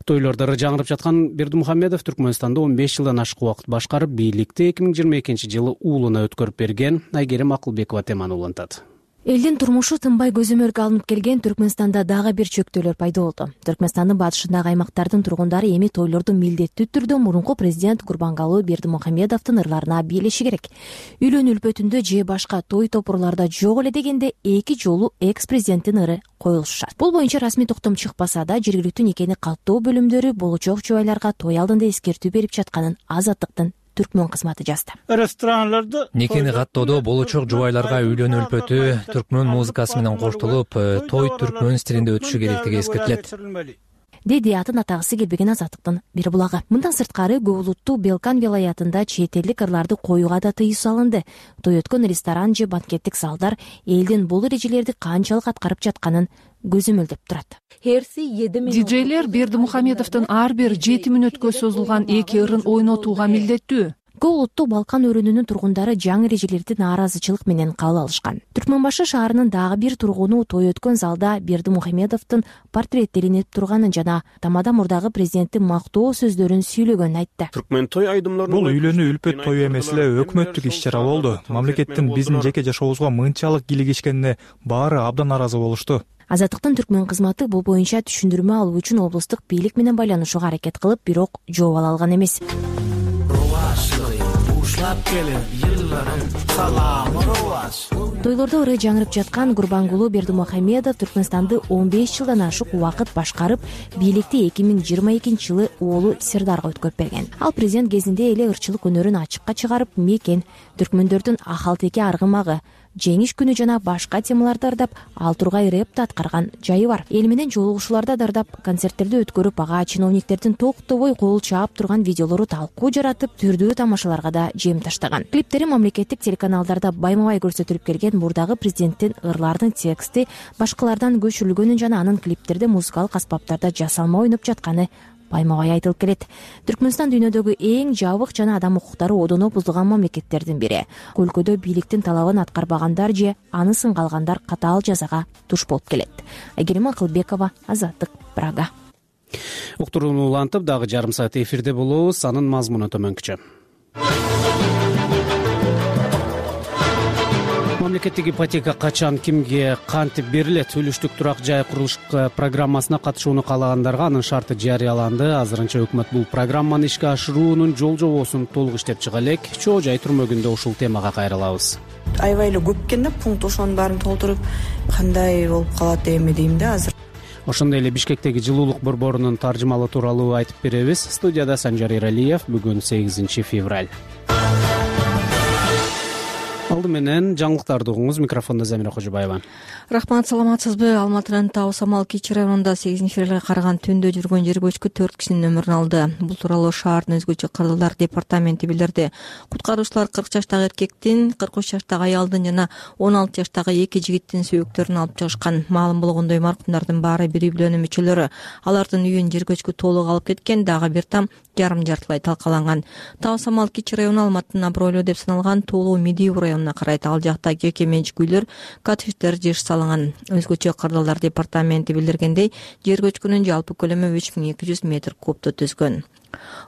Тойлордо ыры жаңырып жаткан Бердимухамедов Түркмөнстанда он беш жылдан ашык убакыт башкарып, бийликти эки миң жыйырма экинчи жылы уулуна өткөрүп берген. Айгерим Акылбекова теманы улантат. Элдин турмушу тынбай көзөмөлгө алынып келген Түркмөнстанда дагы бир чөктөөлөр пайда болду. Түркмөнстандын батышындагы аймактардын тургундары эми тойлорду милдеттүү түрдө мурунку президент Гурбангулы Бердимухамедовдун ырларына бийлеши керек. Үйлөнүү үлпөтүндө же башка той топурларда жок эле дегенде эки жолу экс-президенттин ыры коюлушу шарт. Бул боюнча расмий токтом чыкпаса да, жергиликтүү никени каттоо бөлүмдөрү болочок жубайларга той алдында эскертүү берип жатканын Азаттыктын Түркмөн кызматы жазды. Ресторанларда никени каттоодо болочок жубайларга үйлөнүү үлпөтү түркмөн музыкасы менен коштолуп, той түркмөн стилинде өтүшү керектиги эскертилет. Деди атын атагысы келбеген Азаттыктын бир булагы. Мындан сырткары көп улуттуу Белкан вилаятында чет элдик ырларды коюуга да тыюу салынды. Той өткөн ресторан же банкеттик залдар элдин бул эрежелерди канчалык аткарып жатканын көзөмөлдөп турат. Диджейлер Бердимухамедовдун ар бир жети мүнөткө созулган эки ырын ойнотууга милдеттүү. Көп улуттуу Балкан өрүнүнүн тургундары жаңы эрежелерди нааразычылык менен кабыл алышкан. Түркмөнбашы шаарынын дагы бир тургуну той өткөн залда Бердимухамедовдун портреттелинип турганын жана тамада мурдагы президенттин мактоо сөздөрүн сүйлөгөнүн айтты. Түркмөн той айдымдарында бул үйлөнүү үлпөт тою эмес эле өкмөттүк иш чара болду. Мамлекеттин биздин жеке жашообузга мынчалык кийлигишкенине баары абдан нааразы болушту. Азаттыктын Түркмөн кызматы бул боюнча түшүндүрмө алуу үчүн облустук бийлик менен байланышууга аракет кылып, бирок жооп ала алган эмес. Бушлап келип, тойлордо ыры жаңырып жаткан Гурбангулуу Бердимухамедов Түркмөнстанды он беш жылдан ашык убакыт башкарып, бийликти эки миң жыйырма экинчи жылы уулу Сердарга өткөрүп берген. Ал президент кезинде эле ырчылык өнөрүн ачыкка чыгарып, мекен, түркмөндөрдүн ахалтеке аргымагы, жеңиш күнү жана башка темаларды ардап, ал тургай рэпти аткарган жайы бар. Эл менен жолугушууларда дардап, концерттерди өткөрүп, ага чиновниктердин токтобой кол чаап турган видеолору талкуу жаратып, түрдүү тамашаларга да жем таштаган. Клиптери мамлекеттик телеканалдарда байма-бай көрсөтүлүп келген мурдагы президенттин ырлардын тексти башкалардан көчүрүлгөнүн жана анын клиптерде музыкалык аспаптарда жасалма ойноп жатканы байма-бай айтылып келет. Түркмөнстан дүйнөдөгү эң жабык жана адам укуктары одоно бузулган мамлекеттердин бири. Өлкөдө бийликтин талабын аткарбагандар же аны сынгалгандар катаал жазага туш болуп келет. Айгерим Акылбекова, Азаттык, Прага. Уктурууну улантып, дагы жарым саат эфирде болобуз. Анын мазмуну төмөнкүчө. Мамлекеттик ипотека качан кимге кантип берилет? Үлүштүк турак жай курулуш программасына катышууну каалагандарга анын шарты жарыяланды. Азырынча өкмөт бул программаны ишке ашыруунун жол жобосун толук иштеп чыга элек. Чоо жай турмөгүндө ушул темага кайрылабыз. Аябай эле көп экен да, пункт ошонун баарын толтуруп кандай болуп калат эми дейм да азыр. Ошондой эле Бишкектеги жылуулук борборунун таржымалы тууралуу айтып беребиз. Студияда Санжар Иралиев. Бүгүн сегизинчи февраль. Алды менен жаңылыктарды угуңуз. Микрофондо Замира Кожобаева. Рахмат, саламатсызбы? Алматынын Тау Самал Кичи районунда сегизинчи февралга караган түндө жүргөн жер көчкү төрт кишинин өмүрүн алды. Бул тууралуу шаардын өзгөчө кырдаалдар департаменти билдирди. Куткаруучулар кырк жаштагы эркектин, кырк үч жаштагы аялдын жана он алты жаштагы эки жигиттин сөөктөрүн алып чыгышкан. Маалым болгондой, маркумдардын баары бир үй бүлөнүн мүчөлөрү. Алардын үйүн жер көчкү толук алып кеткен, дагы бир там жарым жартылай талкаланган. Тау Самал Кичи району Алматынын абройлуу деп саналган Тоолуу Медиу районуна карайт. Ал жакта жеке менчик үйлөр, коттедждер жеш салынган. Өзгөчө кырдаалдар департаменти билдиргендей, жер көчкүнүн жалпы көлөмү үч миң эки жүз метр кубду түзгөн.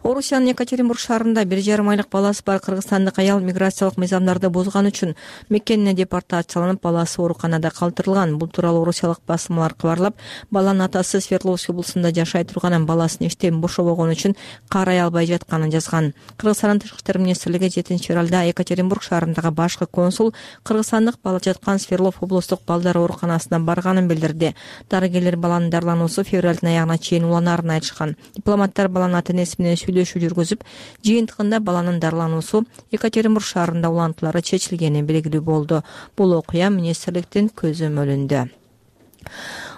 Орусиянын Екатеринбург шаарында бир жарым айлык баласы бар кыргызстандык аял миграциялык мыйзамдарды бузган үчүн мекенине депортацияланып, баласы ооруканада калтырылган. Бул тууралуу орусиялык басылмалар кабарлап, баланын атасы Свердловск облусунда жашай турганын, баласын иштен бошобогон үчүн карай албай жатканын жазган. Кыргызстандын Тышкы иштер министрлиги жетинчи февралда Екатеринбург шаарындагы башкы консул кыргызстандык бала жаткан Свердлов облустук балдар ооруканасына барганын билдирди. Дарыгерлер баланын дарылануусу февралдын аягына чейин уланарын айтышкан. Дипломаттар баланын ата-энеси менен сүйлөшүү жүргүзүп, жыйынтыгында баланын дарылануусу Екатеринбург шаарында улантуулары чечилгени белгилүү болду. Бул окуя министрликтин көзөмөлүндө.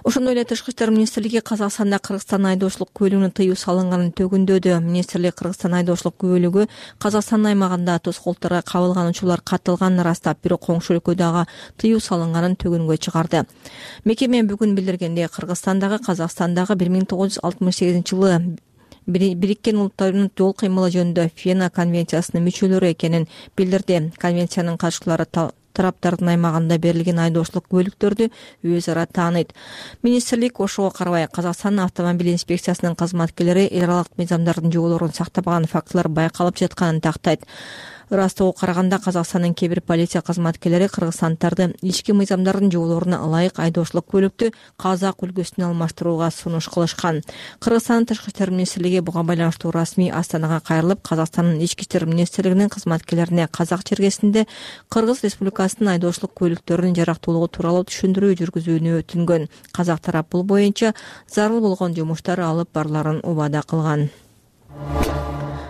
Ошондой эле Тышкы иштер министрлиги Казакстанда Кыргызстан айдоочулук күбөлүгүнө тыюу салынганын төгүндөдү. Министрлик Кыргызстан айдоочулук күбөлүгү Казакстан аймагында тоскоолторго кабылган учурлар катталганын ырастап, бирок коңшу өлкөдөгү тыюу салынганын төгүнгө чыгарды. Мекеме бүгүн билдиргендей, Кыргызстандагы Казакстандагы бир миң тогуз жүз алтымыш сегизинчи жылы Бириккен Улуттардын жол кыймылы жөнүндө Вена конвенциясынын мүчөлөрү экенин билдирди. Конвенциянын катышчылары тараптардын аймагында берилген айдоочулук күбөлүктөрдү өз ара тааныйт. Министрлик ошого карабай Казакстан автомобиль инспекциясынын кызматкерлери эл аралык мыйзамдардын жоболорун сактабаган фактылар байкалып жатканын тактайт. Ырастыгы караганда Казакстандын кээ бир полиция кызматкерлери кыргызстанддарды ички мыйзамдардын жоболоруна ылайык айдоочулук көлүктү Казак үлгүсүнө алмаштырууга сунуш кылышкан. Кыргызстандын Тышкы иштер министрлиги буга байланыштуу расмий Астанага кайрылып, Казакстандын ички иштер министрлигинин кызматкерлерине казак чергесинде Кыргыз Республикасынын айдоочулук көлүктөрүнүн жарактуулугу тууралуу түшүндүрүү жүргүзүүнү өтүнгөн. Казак тарап бул боюнча зарыл болгон жумуштар алып барыларын убада кылган.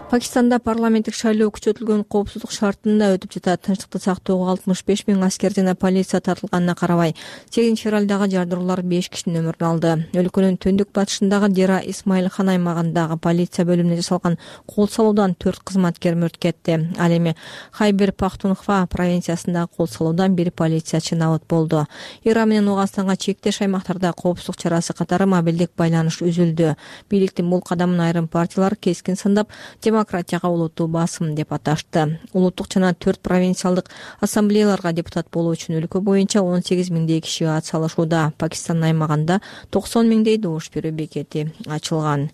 Пакистанда парламенттик шайлоо күчөтүлгөн коопсуздук шартында өтүп жатат. Тынчтыкты сактоого алтымыш беш миң аскер жана полиция тартылганына карабай, сегизинчи февралдагы жардыруулар беш кишинин өмүрүн алды. Өлкөнүн түндүк батышындагы Дера Исмаил хан аймагындагы полиция бөлүмүнө жасалган кол салуудан төрт кызматкер мөрт кетти. Ал эми Хайбер Пахтунхва провинциясындагы кол салуудан бир полициячы набыт болду. Иран менен Ооганстанга чектеш аймактарда коопсуздук чарасы катары мобилдик байланыш үзүлдү. Бийликтин бул кадамын айрым партиялар кескин сындап, демократияга улуттуу басым деп аташты. Улуттук жана төрт провинциалдык ассамблеяларга депутат болуу үчүн өлкө боюнча он сегиз миңдей киши ат салышууда. Пакистан аймагында токсон миңдей добуш берүү бекети ачылган.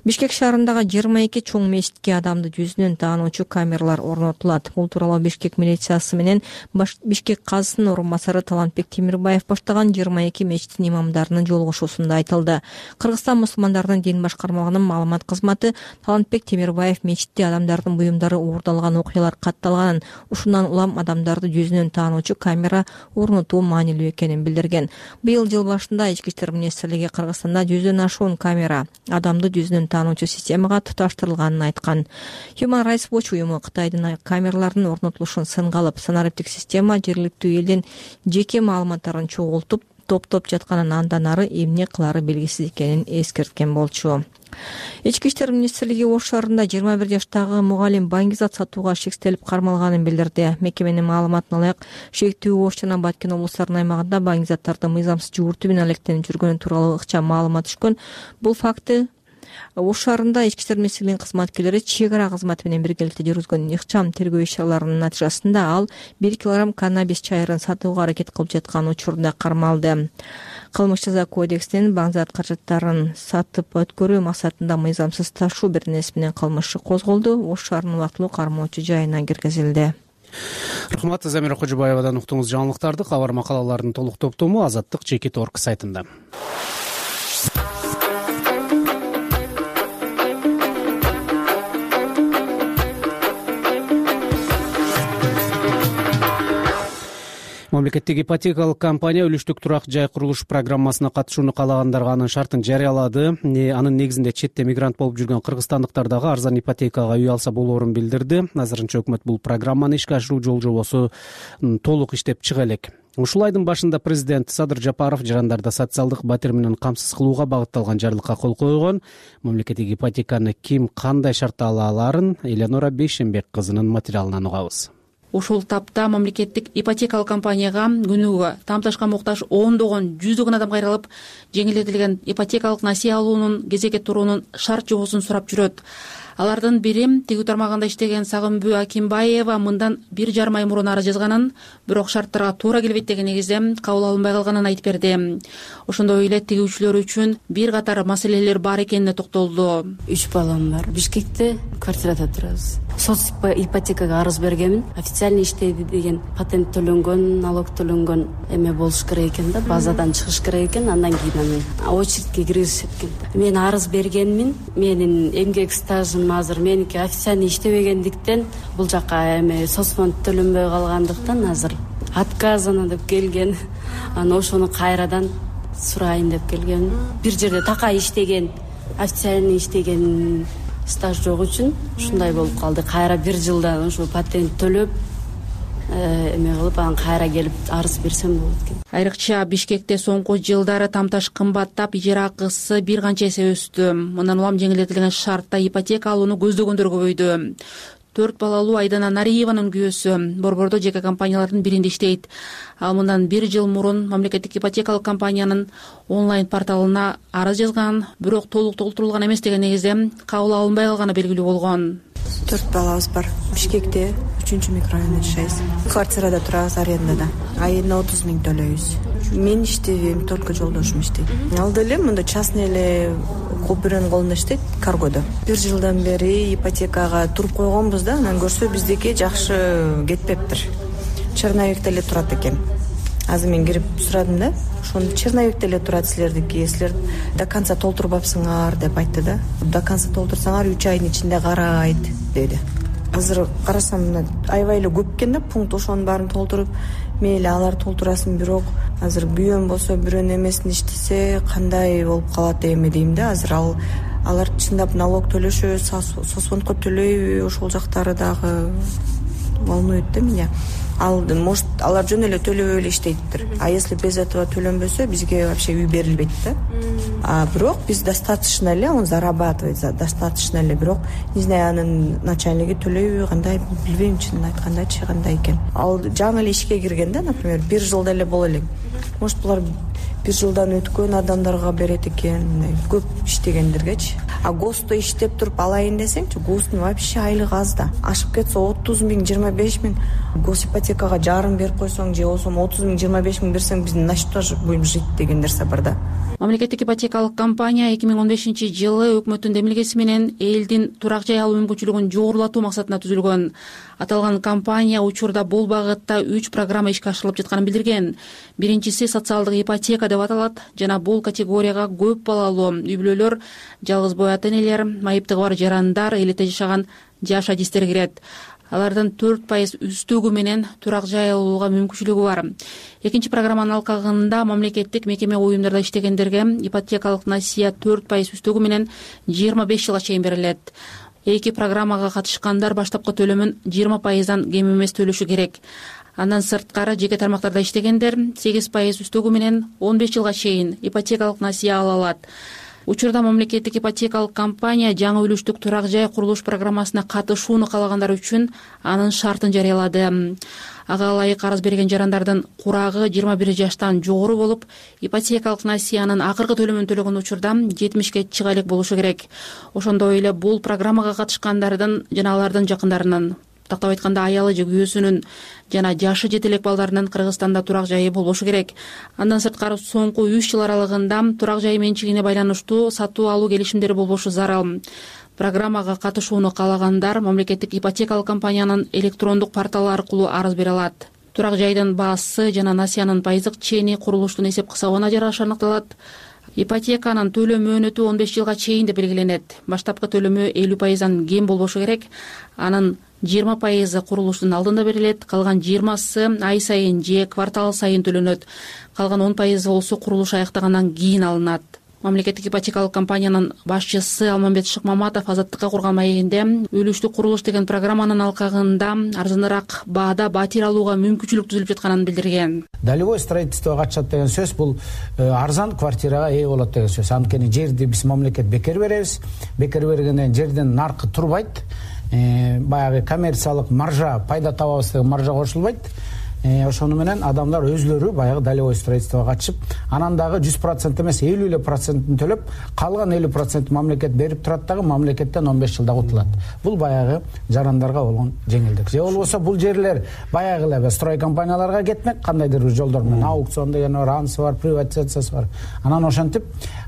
Бишкек шаарындагы жыйырма эки чоң мечитке адамды жүзүнөн таануучу камералар орнотулат. Бул тууралуу Бишкек милициясы менен Бишкек казысынын орун басары Талантбек Темирбаев баштаган жыйырма эки мечиттин имамдарынын жолугушуусунда айтылды. Кыргызстан мусулмандарынын дин башкармалыгынын маалымат кызматы Талантбек Темирбаев мечитте адамдардын буюмдары уурдалган окуялар катталганын, ушундан улам адамдарды жүзүнөн таануучу камера орнотуу маанилүү экенин билдирген. Быйыл жыл башында ички иштер министрлиги Кыргызстанда жүздөн ашуун камера адамды жүзүнөн таануучу системага туташтырылганын айткан. Human Rights Watch уюму Кытайдын камералардын орнотулушун сынга алып, санариптик система жергиликтүү элдин жеке маалыматтарын чогултуп топтоп жатканын, андан ары эмне кылары белгисиз экенин эскерткен болчу. Ички иштер министрлиги Ош шаарында жыйырма бир жаштагы мугалим баңгизат сатууга шектелип кармалганын билдирди. Мекеменин маалыматына ылайык, шектүү Ош жана Баткен облустарынын аймагында баңгизаттарды мыйзамсыз жууртуу менен алектенип жүргөнү тууралуу ыкчам маалымат түшкөн. Бул факты Ош шаарында ички иштер министрлигинин кызматкерлери чек ара кызматы менен биргеликте жүргүзгөн ыкчам тергөө иш-чараларынын натыйжасында ал бир килограмм каннабис чайырын сатууга аракет кылып жаткан учурунда кармалды. Кылмыш жаза кодексинин баңгизат каражаттарын сатып өткөрүү максатында мыйзамсыз ташуу беренеси менен кылмыш козголду. Ош шаарынын убактылуу кармоочу жайына киргизилди. Рахмат, Замира Кожобаевадан уктуңуз жаңылыктарды. Кабар макалалардын толук топтому Азаттык Чекит орг сайтында. Мамлекеттик ипотекалык компания үлүштүк турак жай курулуш программасына катышууну каалагандарга анын шартын жарыялады. Анын негизинде четте мигрант болуп жүргөн кыргызстандыктар дагы арзан ипотекага үй алса болоорун билдирди. Азырынча өкмөт бул программаны ишке ашыруу жол жобосу толук иштеп чыга элек. Ушул айдын башында президент Садыр Жапаров жарандарды социалдык батир менен камсыз кылууга багытталган жарлыкка кол койгон. Мамлекеттик ипотеканы ким кандай шартта ала аларын Эленора Бейшенбек кызынын материалынан угабыз. Ушул тапта мамлекеттик ипотекалык компанияга күнүгө тамташка муктаж ондогон, жүздөгөн адам кайрылып, жеңилдетилген ипотекалык насие алуунун, кезекке туруунун шарт жобосун сурап жүрөт. Алардын бири тигүү тармагында иштеген Сагынбүү Акимбаева мындан бир жарым ай мурун арыз жазганын, бирок шарттарга туура келбейт деген негизде кабыл алынбай калганын айтып берди. Ошондой эле тигүүчүлөр үчүн бир катар маселелер бар экенине токтолду. Үч балам бар. Бишкекте квартирада турабыз. Соц ипотекага арыз бергенмин. Официальный иштейди деген патент төлөнгөн, налог төлөнгөн эме болуш керек экен да, базадан чыгыш керек экен, андан кийин аны очередке киргизишет экен. Мен арыз бергенмин. Менин эмгек стажым азыр меники официальный иштебегендиктен, бул жака эме соцфонд төлөнбөй калгандыктан азыр отказано деп келген. Аны ошону кайрадан сурайын деп келген. Бир жерде такай иштеген, официальный иштеген стаж жок үчүн ушундай болуп калды. Кайра бир жылдан ошо патент төлөп эме кылып, анан кайра келип арыз берсем болот экен. Айрыкча Бишкекте соңку жылдары тамташ кымбаттап, ижара акысы бир канча эсе өстү. Мындан улам жеңилдетилген шартта ипотека алууну көздөгөндөр көбөйдү. Төрт балалуу Айдана Нариеванын күйөөсү Борбордо жеке компаниялардын биринде иштейт. Ал мындан бир жыл мурун мамлекеттик ипотекалык компаниянын онлайн порталына арыз жазган, бирок толук толтурулган эмес деген негизде кабыл алынбай калганы белгилүү болгон. Төрт балабыз бар. Бишкекте үчүнчү микрорайондо жашайбыз. Квартирада турабыз, арендада. Айына отуз миң төлөйбүз. Мен иштебейм, только жолдошум иштейт. Ал деле мында частный эле бирөөнүн колунда иштейт, каргодо. Бир жылдан бери ипотекага туруп койгонбуз да, анан көрсө биздики жакшы кетпептир. Черновикте эле турат экен. Азыр мен кирип сурадым да, ошону черновикте эле турат силердики, силер до конца толтурбапсыңар деп айтты да. До конца толтурсаңар үч айдын ичинде карайт деди. Азыр карасам мына аябай эле көп экен да, пункт ошонун баарын толтуруп, мейли алар толтурасын, бирок азыр күйөөм болсо бирөөнүн эмесин иштесе кандай болуп калат эми дейм да. Азыр ал алар чындап налог төлөшөбү, соцфондко төлөйбү, ошол жактары дагы волнует да меня. Ал может алар жөн эле төлөбөй эле иштейттир. А если без этого төлөнбөсө бизге вообще үй берилбейт да. А бирок биз достаточно эле, он зарабатывает достаточно эле, бирок не знаю, анын начальниги төлөйбү, кандай билбейм, чынын айткандачы кандай экен. Ал жаңы эле ишке кирген да, например, бир жылда эле боло элек. Может булар бир жылдан өткөн адамдарга берет экен, көп иштегендергечи. А ГОСТо иштеп туруп алайын десеңчи, ГОСТун вообще айлыгы аз да. Ашып кетсе отуз миң, жыйырма беш миң. Гос ипотекага жарым берип койсоң же болбосо отуз миң, жыйырма беш миң берсең, биз на что же будем жить деген нерсе бар да. мамлекеттик ипотекалык компания эки миң он бешинчи жылы өкмөттүн демилгеси менен элдин турак жай алуу мүмкүнчүлүгүн жогорулатуу максатында түзүлгөн. Аталган компания учурда бул багытта үч программа ишке ашырылып жатканын билдирген. Биринчиси социалдык ипотека деп аталат жана бул категорияга көп балалуу үй бүлөлөр, жалгыз бой ата энелер, майыптыгы бар жарандар, элете жашаган жаш адистер кирет. Алардын төрт пайыз үстөгү менен турак жай алууга мүмкүнчүлүгү бар. Экинчи программанын алкагында мамлекеттик мекеме уюмдарда иштегендерге ипотекалык насыя төрт пайыз үстөгү менен жыйырма беш жылга чейин берилет. Эки программага катышкандар баштапкы төлөмүн жыйырма пайыздан кем эмес төлөшү керек. Андан сырткары жеке тармактарда иштегендер сегиз пайыз үстөгү менен он беш жылга чейин ипотекалык насыя ала алат. Учурда мамлекеттик ипотекалык компания жаңы үлүштүк турак жай курулуш программасына катышууну каалагандар үчүн анын шартын жарыялады. Ага ылайык арыз берген жарандардын курагы жыйырма бир жаштан жогору болуп, ипотекалык насыянын акыркы төлөмүн төлөгөн учурда жетимишке чыга элек болушу керек. Ошондой эле бул программага катышкандардын жана алардын жакындарынын, тактап айтканда аялы же күйөөсүнүн жана жашы жете элек балдарынын Кыргызстанда турак жайы болбошу керек. Андан сырткары соңку үч жыл аралыгында турак жай менчигине байланыштуу сатуу алуу келишимдери болбошу зарыл. Программага катышууну каалагандар мамлекеттик ипотекалык компаниянын электрондук порталы аркылуу арыз бере алат. Турак жайдын баасы жана насыянын пайыздык чени курулуштун эсеп кысабына жараша аныкталат. Ипотеканын төлөм мөөнөтү он беш жылга чейин деп белгиленет. Баштапкы төлөмү элүү пайыздан кем болбошу керек. Анын жыйырма пайызы курулуштун алдында берилет, калган жыйырмасы ай сайын же квартал сайын төлөнөт. Калган он пайызы болсо курулуш аяктагандан кийин алынат. Мамлекеттик ипотекалык компаниянын башчысы Алмамбет Шыкмаматов Азаттыкка курган маегинде үлүштүк курулуш деген программанын алкагында арзаныраак баада батир алууга мүмкүнчүлүк түзүлүп жатканын билдирген. Долевое строительствого катышат деген сөз бул арзан квартирага ээ болот деген сөз. Анткени жерди биз мамлекет бекер беребиз. Бекер бергенден жердин наркы турбайт. Баягы коммерциялык маржа, пайда табабыз деген маржа кошулбайт. Ошону менен адамдар өзлөрү баягы долевое строительствого катышып, анан дагы жүз процент эмес элүү эле процентин төлөп, калган элүү процент мамлекет берип турат дагы мамлекеттен он беш жылда кутулат. Бул баягы жарандарга болгон жеңилдик. Же болбосо бул жерлер баягы эле строй компанияларга кетмек, кандайдыр бир жолдор менен аукцион деген бар, анысы бар, приватизациясы бар. Анан ошентип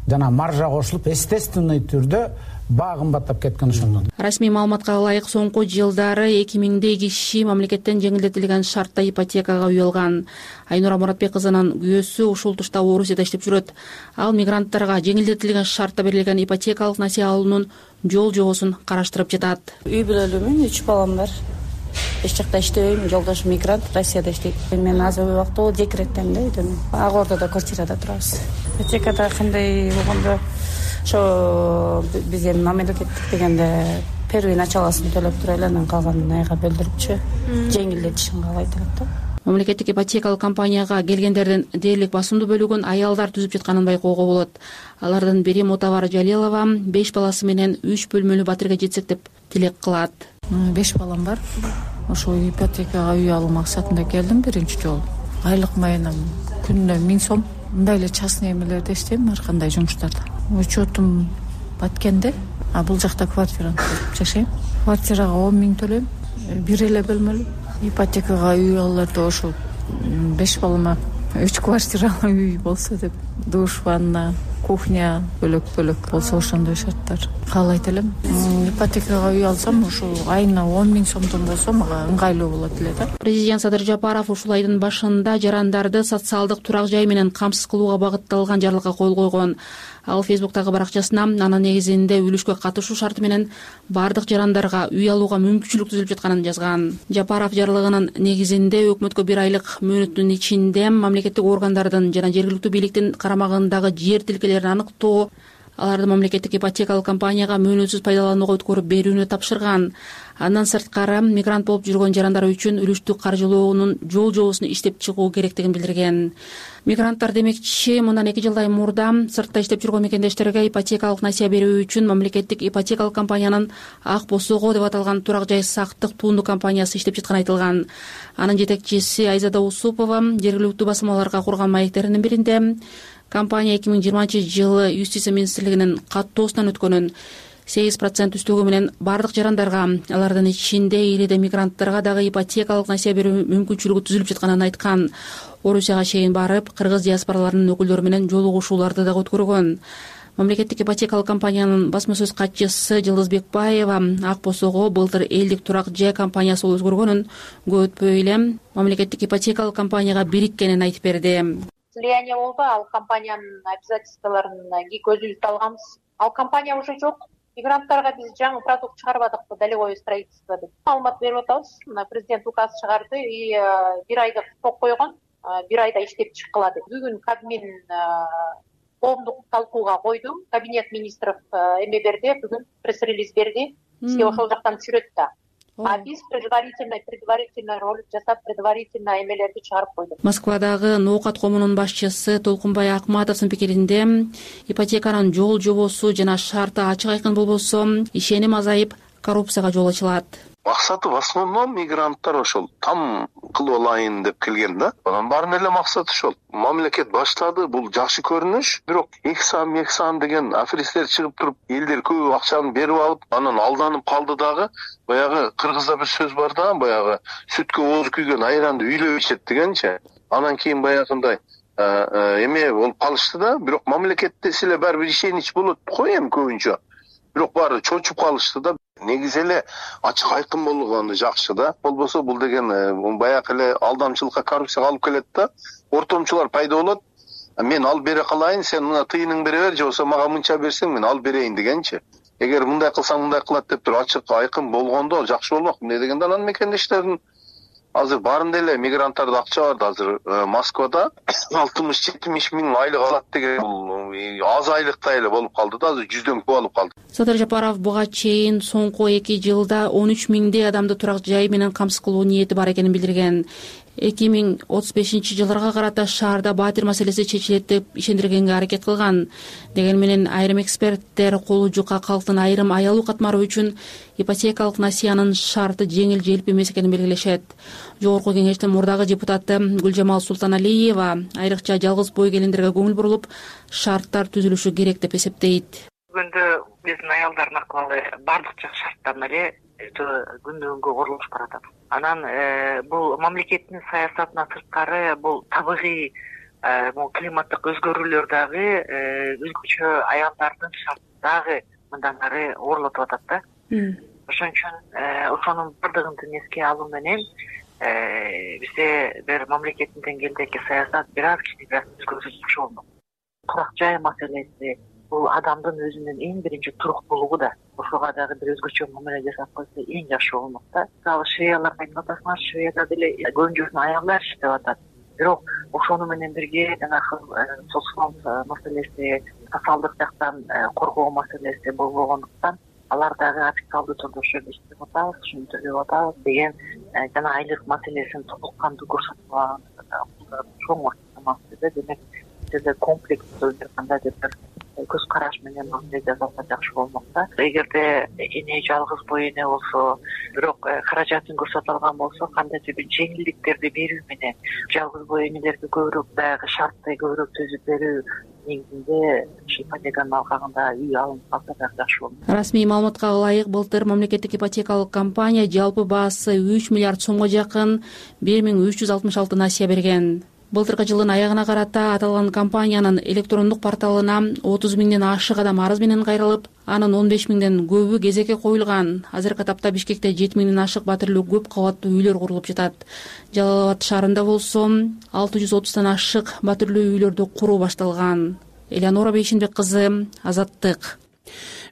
жана маржа кошулуп, естественный түрдө баа кымбаттап кеткен ошондон. Расмий маалыматка ылайык соңку жылдары эки миңдей киши мамлекеттен жеңилдетилген шартта ипотекага үй алган. Айнура Муратбек кызынын күйөөсү ушул тушта Орусияда иштеп жүрөт. Ал мигранттарга жеңилдетилген шартта берилген ипотекалык насыя алуунун жол жобосун караштырып жатат. Үй бүлөлүүмүн, үч балам бар. Эч жакта иштебейм, жолдошум мигрант, Россияда иштейт. Мен азыр убакта декреттен да үйдөн. Ак Ордодо квартирада турабыз. Ипотекада кандай болгондо ошо биз эми мамлекеттик дегенде первый началосын төлөп туруп эле анан калганын айга бөлдүрүпчү жеңилдетишин каалайт элек да. Мамлекеттик ипотекалык компанияга келгендердин дээрлик басымдуу бөлүгүн аялдар түзүп жатканын байкоого болот. Алардын бири Мутабар Жалилова беш баласы менен үч бөлмөлүү батирге жетсек деп тилек кылат. Беш балам бар. Ошол ипотекага үй алуу максатында келдим биринчи жолу. Айлык майынан күнүнө миң сом. Мындай эле частный эмелерде иштейм, ар кандай жумуштарда. Учетум баткенде, а бул жакта квартирада жашайм. Квартирага он миң төлөйм, бир эле бөлмөлүү. Ипотекага үй аларды ошол беш балама үч квартиралуу үй болсо деп, душ, ванна, кухня бөлөк-бөлөк болсо ошондой шарттар каалайт элем. Ипотекага үй алсам, ошол айына он миң сомдон болсо мага ыңгайлуу болот эле да. Президент Садыр Жапаров ушул айдын башында жарандарды социалдык турак жай менен камсыз кылууга багытталган жарлыкка кол койгон. Ал Фейсбуктагы баракчасына анын негизинде үлүшкө катышуу шарты менен бардык жарандарга үй алууга мүмкүнчүлүк түзүлүп жатканын жазган. Жапаров жарлыгынын негизинде өкмөткө бир айлык мөөнөттүн ичинде мамлекеттик органдардын жана жергиликтүү бийликтин карамагындагы жер тилкелерин аныктоо, аларды мамлекеттик ипотекалык компанияга мөөнөтсүз пайдаланууга өткөрүп берүүнү тапшырган. Андан сырткары мигрант болуп жүргөн жарандар үчүн үлүштүк каржылоонун жол жобосун иштеп чыгуу керектигин билдирген. Мигранттар демекчи мындан эки жылдай мурда сыртта иштеп жүргөн мекендештерге ипотекалык насыя берүү үчүн мамлекеттик ипотекалык компаниянын Ак Босого деп аталган турак жай сактык туунду компаниясы иштеп жатканы айтылган. Анын жетекчиси Айзада Усупова жергиликтүү басмаларга курган маектеринин биринде компания эки миң жыйырманчы жылы Юстиция министрлигинин каттоосунан өткөнүн, сегиз процент үстөгү менен баардык жарандарга, алардын ичинде элиде мигранттарга дагы ипотекалык насыя берүү мүмкүнчүлүгү түзүлүп жатканын айткан. Орусияга чейин барып, кыргыз диаспораларынын өкүлдөрү менен жолугушууларды дагы өткөргөн. Мамлекеттик ипотекалык компаниянын басма сөз катчысы Жылдыз Бекбаева Ак Босого былтыр элдик турак жай компаниясы өзгөргөнүн көп өтпөй эле мамлекеттик ипотекалык компанияга бириткенин айтып берди. Слияние болду, ал компаниянын обязательстволорун көзүбүздү алганбыз. Ал компания уже жок. Мигранттарга биз жаңы продукт чыгарбадыкпы, долевое строительство деп. Маалымат берип атабыз. Мына президент указ чыгарды и бир айда срок койгон, бир айда иштеп чыккыла деп. Бүгүн Кабмин коомдук талкууга койду. Кабинет министров эме берди, бүгүн пресс-релиз берди. Бизге ошол жактан түшүрөт да. А биз предварительно предварительно ролик жасап, предварительно эмелерди чыгарып койдук. Москвадагы Ноокат комунунун башчысы Толкунбай Акматовдун пикиринде, ипотеканын жол жобосу жана шарты ачык айкын болбосо, ишеним азайып, коррупцияга жол ачылат. Максаты в основном мигранттар ошол там кылып алайын деп келген да. Анан баарын эле максаты ошол. Мамлекет баштады, бул жакшы көрүнүш. Бирок эки сан, эки сан деген аферисттер чыгып туруп, элдер көп акчаны берип алып, анан алданып калды дагы. Баягы кыргызда бир сөз бар да, баягы сүткө ооз күйгөн айранды үйлөп ичет дегенчи. Анан кийин баягындай эме болуп калышты да. Бирок мамлекетте силе баары бир ишенич болот го эми көбүнчө. Бирок баары чочуп калышты да. Негизи эле ачык айкын болгону жакшы да. Болбосо бул деген баягы эле алдамчылыкка, коррупцияга алып келет да. Ортомчулар пайда болот. Мен алып бере калайын, сен мына тыйының бере бер, же болбосо мага мынча берсең мен алып берейин дегенчи. Эгер мындай кылсаң мындай кылат деп туруп ачык айкын болгондо жакшы болмок. Эмне дегенде анан мекендештердин азыр баарында эле мигранттарда акча бар да. Азыр Москвада алтымыш жетимиш миң айлык алат деген бул аз айлыктай эле болуп калды да. Азыр жүздөн көп алып калды. Садыр Жапаров буга чейин соңку эки жылда он үч миңдей адамды турак жай менен камсыз кылуу ниети бар экенин билдирген. эки миң отуз бешинчи жылдарга карата шаарда баатыр маселеси чечилет деп ишендиргенге аракет кылган. Деген менен айрым эксперттер колу жука калктын айрым аялуу катмары үчүн ипотекалык насыянын шарты жеңил желп эмес экенин белгилешет. Жогорку кеңештин мурдагы депутаты Гүлжамал Султаналиева айрыкча жалгыз бой келиндерге көңүл буруп, шарттар түзүлүшү керек деп эсептейт. Бүгүндө биздин аялдардын акыбалы бардык жак шарттан эле күндөн күнгө оролушуп баратат. Анан бул мамлекеттин саясатына сырткары бул табигый климаттык өзгөрүүлөр дагы өзгөчө аялдардын шартын дагы мындан ары оорулатып атат да. Ошон үчүн ошонун бардыгын эске алуу менен бизде бир мамлекеттин деңгээлдеги саясат бир аз кичине өзгөрүлүп жакшы болмок. Турак жай маселеси бул адамдын өзүнүн эң биринчи туруктуулугу да. Ошого дагы бир өзгөчө мамиле жасап койсо эң жакшы болмок да. Мисалы Швеяларга айтып атасыңар, Швеяда деле көбүнчөсүнүн аялдар иштеп атат. Бирок ошону менен бирге жанагы социал маселеси, социалдык жактан коргоо маселеси болбогондуктан алар дагы официалдуу түрдө ошол жерде иштеп атабыз, ушуну төлөп атабыз деген жана айлык маселесин толук кандуу көрсөтүп чоң маселе. Демек жерде комплекстүү бир кандайдыр бир көз караш менен мамиле жасалса жакшы болмок да. Эгерде эне жалгыз бой эне болсо, бирок каражатын көрсөтө алган болсо, кандайдыр бир жеңилдиктерди берүү менен жалгыз бой энелерге көбүрөөк дагы шартты көбүрөөк түзүп берүү негизинде ипотеканын алкагында үй алынып калса дагы жакшы болмок. Расмий маалыматка ылайык, былтыр мамлекеттик ипотекалык компания жалпы баасы үч миллиард сомго жакын бир миң үч жүз алтымыш алты насыя берген. Былтыркы жылдын аягына карата аталган компаниянын электрондук порталына отуз миңден ашык адам арыз менен кайрылып, анын он беш миңден көбү кезекке коюлган. Азыркы тапта Бишкекте жети миңден ашык батирлүү көп кабаттуу үйлөр курулуп жатат. Жалал Абад шаарында болсо алты жүз отуздан ашык батирлүү үйлөрдү куруу башталган. Элеонора Бейшенбек кызы, Азаттык.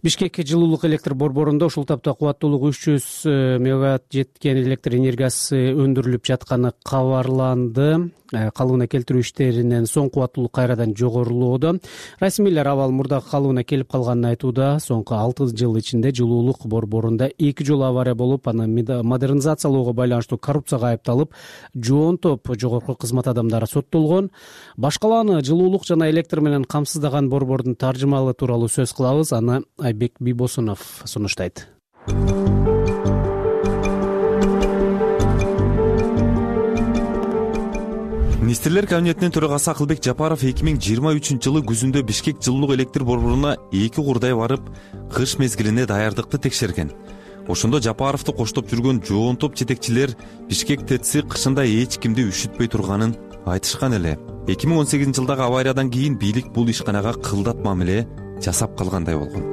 Бишкек жылуулук электр борборунда ушул тапта кубаттуулугу үч жүз мегаватт жеткен электр энергиясы өндүрүлүп жатканы кабарланды. Калыбына келтирүү иштеринен соң кубаттуулук кайрадан жогорулоодо. Расмийлер абал мурдагы калыбына келип калганын айтууда. Соңку алты жыл ичинде жылуулук борборунда эки жолу авария болуп, аны модернизациялоого байланыштуу коррупцияга айыпталып, жоон топ жогорку кызмат адамдары соттолгон. Башкаланы жылуулук жана электр менен камсыздаган борбордун таржымалы тууралуу сөз кылабыз. Аны Айбек Бибосунов сунуштайт. Министрлер кабинетинин төрагасы Акылбек Жапаров эки миң жыйырма үчүнчү жылы күзүндө Бишкек жылуулук электр борборуна эки курдай барып, кыш мезгилине даярдыкты текшерген. Ошондо Жапаровду коштоп жүргөн жоон топ жетекчилер Бишкек ТЭЦи кышында эч кимди үшүтпөй турганын айтышкан эле. эки миң он сегизинчи жылдагы авариядан кийин бийлик бул ишканага кылдат мамиле жасап калгандай болгон.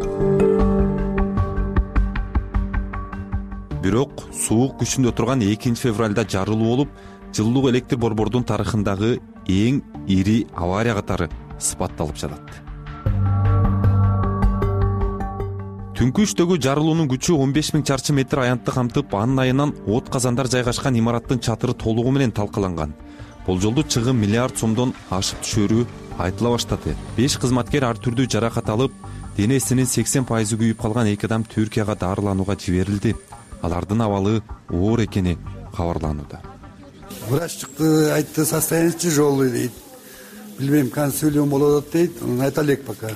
Бирок суук күчүндө турган экинчи февралда жарылуу болуп, жылуулук электр борбордун тарыхындагы эң ири авария катары сыпатталып жатат. Түнкү үчтөгү жарылуунун күчү он беш миң чарчы метр аянтты камтып, анын айынан от казандар жайгашкан имараттын чатыры толугу менен талкаланган. Болжолдуу чыгым миллиард сомдон ашып түшөрү айтыла баштады. беш кызматкер ар түрдүү жаракат алып, денесинин сексен пайызы күйүп калган эки адам Түркияга дарыланууга жиберилди. Алардын абалы оор экени кабарланууда. Врач чыкты, айтты, состояние тяжелый дейт. Билбейм, консилиум болот дейт, айта элек пока.